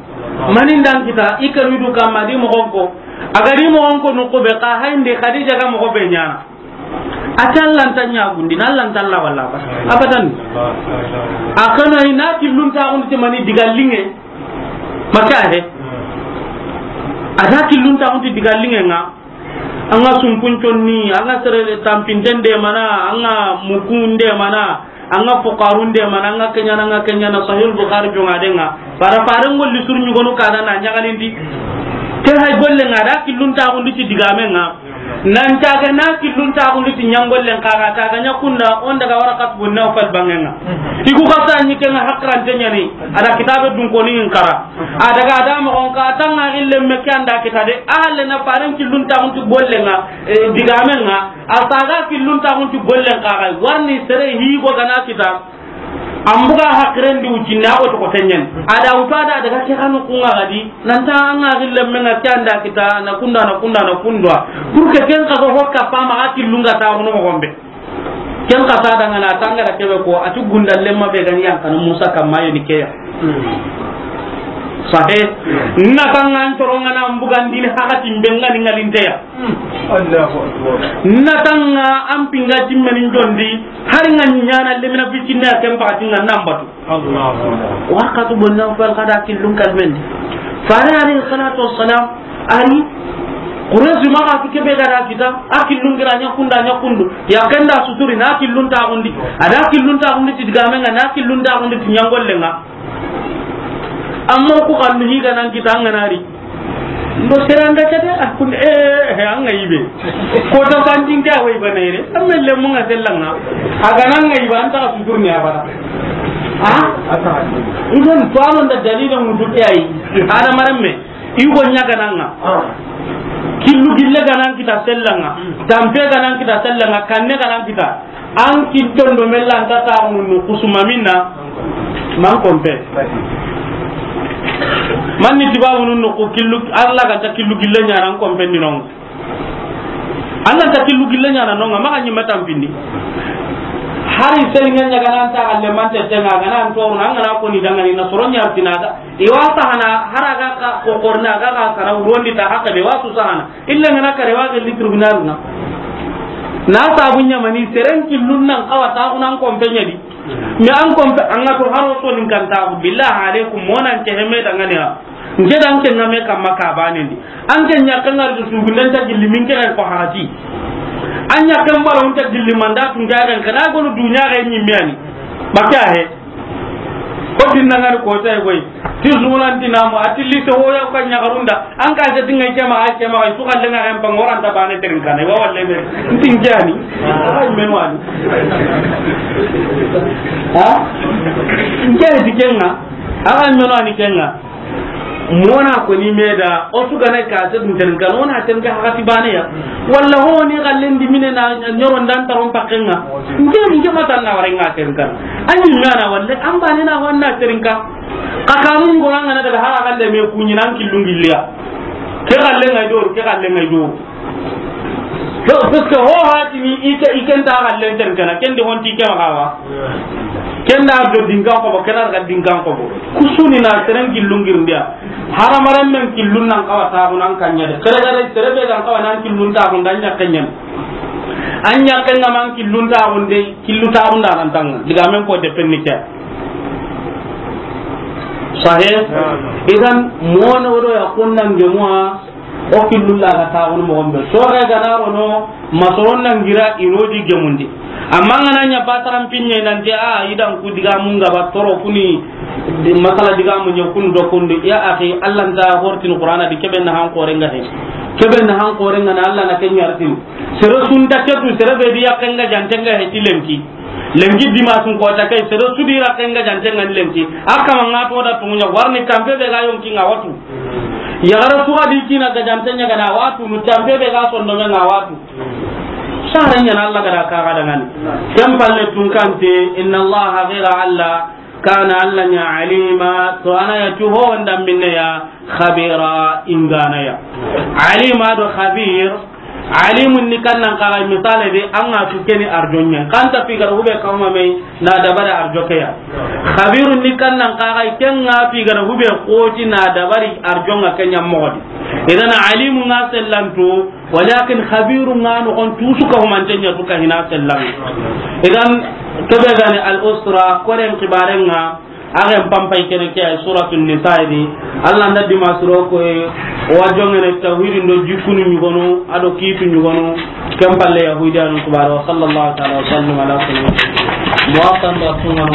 mani ndan kita, i kanu du kamma di moxon ko. A ga di moxon ko nuxu be, xa hayndi Khadija ga moxo be ɲaana. A ta lanta ɲagundi, na lanta la walla ba. Abadan. A kanu ay na killun ta undi mani diga linge. Maka he. A ta killun ta undi diga linge ŋa. An ga sumpun conni, an ga sere tampinten de mana, an ga mukun de mana, an ga fuqarun de mana, an ga kenyana, an ga kenyana, Sahih Bukhari jonga de ŋa. Fara faren golli sur ɲugonu kana na ɲagalindi. Ke hay golle ŋa da killun ta gundi ti digame ŋa. Nan ta ga na killun ta gundi ti ɲangollen kaga ta ga ɲakunda on daga Waraqat bun Nawfal bangenga. Iku kasa ni kenga hakrante ɲani. Ada kitabe dun koni in kara. A daga da moxon ka tanga ille me ke anda kita de. A halle na faren killun ta gunti gollen ŋa, eh, digamen ŋa. A saga killun ta gunti gollen ka ga. Warni sere hi go gana kita. Ambuga hakren di ujinna o to ko tenyen. Ada uta da daga ke kanu kunga gadi. Nanta anga ille me nga ke anda kita na kunda na kunda na kundwa. Pour que ken ka go hokka fama akillunga ta gono gombe. Ken xa sa dangana tanga da kebe ko, a ti gunda lemma be gani yan kanu Musa kamma yo ni keya. Sahe. Na tanga an toronga na mbugandini hakati mbe ngani ngalinteya. Allahu Akbar. Na tanga an pinga timmeni jondi, hari nga ɲana lemina bitinna ken pakati nga nambatu. Allahu Akbar. Waraqatu bun Nawfal kada killun kalbendi. Fare alayhi salatu wassalam, ani, Quraysh ma ga tu kebe gara kita, a killun gira ɲa kunda ɲa kundu. Ya kenda suturi na killun ta gundi. Ada killun ta gundi ti digame nga na killun ta gundi ti ɲangolle nga. Amma ku kanu higa nan kita nga nari. Ndo seranda kade, a kun, eh, eh, an ga yibe. Ko ta fanjin ga way banere. Amma le mun ga sellanga. Aga nan ga yiba an ta suturni abada. Ha? Idan to amon da dalilan mutu ke ayi. Ada maramme. Igo ɲagananga. Killu gille ganan kita sellanga. Tampe ganan kita sellanga. Kanne ganan kita. An kitton do mella an ta ta nu kusuma minna. Man kompe. Man ni tibabu nu ku killu, Allah ga ta killu gille ɲana an kompe ni non. Allah ta killu gille ɲana non, ma ga ɲi matampindi. Hari sey ŋa ɲa ganan ta galle mante tenga ganan to nan ngana ko ni dangani na soro ɲa tinaga. Iwa sahana haraga ka ko korna ga ga sara urondi ta hakka be wasu sahana. Illa ngana kare wa gelli tribunal na. Na sabu ɲamani seren killun nan kawa ta unan kompe ɲadi. Mi an kompe an ga to haro to nin kan ta billahi alaikum monan ke heme dangane ha. Nge dan ke ngame kamma ka banindi. An ke ɲa kan ngar du sugunden ta gilli min ke ko hati. An ɲa kan baro ta gilli manda tun ga kan kana gonu dunya ga ɲi mi ani. Bakka he. Ko tin nangani ko tay koy. Ti sunan ti namu, a ti li to hoya ka ɲagarunda. An ka jati ngai kema, ay kema, ay su kalle nga en pangoranta bane terin kana. Wa walle be. Ntin jani. Ay men wani. Ha? Nge di kenga. Ay men wani kenga. Mona ko ni meda, o su gana ka se dun tan kan, ona tan ka hakati bane ya. Walla ho ni gallen di mine na ɲoro ndan taron pakenga. Nge, nge matan na wara nga terin kan. Anyi mana walle, an bane na wanna terin ka. Ka kanun gona ngana daga hara galle me kunyi nan killun gilliya. Ke galle ngai do, ke galle ngai do. To, parce que ho hatini ike, iken ta galle terin kana, ken de honti ke ma kawa. Ken da do dingan ko bo, ken da dingan ko bo. Kusuni na seren killun girndiya. Haramaran men killun nan kawa ta nan kanya de. Kare kare sere be kan kawa nan killun ta kun danya kanyan. An ɲaxen ŋa man killun taxunde, killu taxunda nan tanga. Digamen ko de penni ke. Sahih? Idan, mono do ya kunnan gemuwa, o killu la ga taxun moxo be. So ga gana rono, masoron nan gira ino di gemundi. Amma ngana ɲa bataran pinye nan te a idan ku digamun ga ba toro kuni, di masala digamun ɲa kun do kun di. Ya akhi, Allah nta hortin Qur'ana di kebe na han korenga he. Kebe na han korenga na Allah na kenyartin. Sere sunta ketu, sere be di yakenga jantenga he ti lenki. Lenki dimasun kota kai, sere sudi yakenga jantenga ni lenki. Aka manga to da tumunya warni kampe be ga yonki nga watu. Yagara suga di kina ga jantenya ga na watu, nu kampe be ga sondo nga watu. Sare ɲa na Allah ga da ka ga da ngani. Kem palle tun kante, inna Allah ghayra Allah, kana Allah ɲa alima, to ana ya tu ho wanda minne ya, khabira ingana ya. Alima do khabir, alimun ni kannan kaga misale de, an ga tu keni arjonye. Kanta fi gar hube kawma mai na dabari arjoke ya. Khabirun ni kannan kaga kenga fi gar hube koti na dabari arjonga kenya mogodi. Idan alimun ga sellanto, walakin khabirun ga no kon tusu ka humantenya tu ka hina sellan. Idan kebe gani al usra koren kibarenga. Agen pampay kene ke ay Suratul Nisa di. Allah nda dima suro ko e, o wa jongene tawhidin do jikunu ɲugono, ado kitu ɲugono, kem palle yahudiyanu kubara. Wa sallallahu ta'ala wa sallam ala sayyidina Muhammad wa sallam.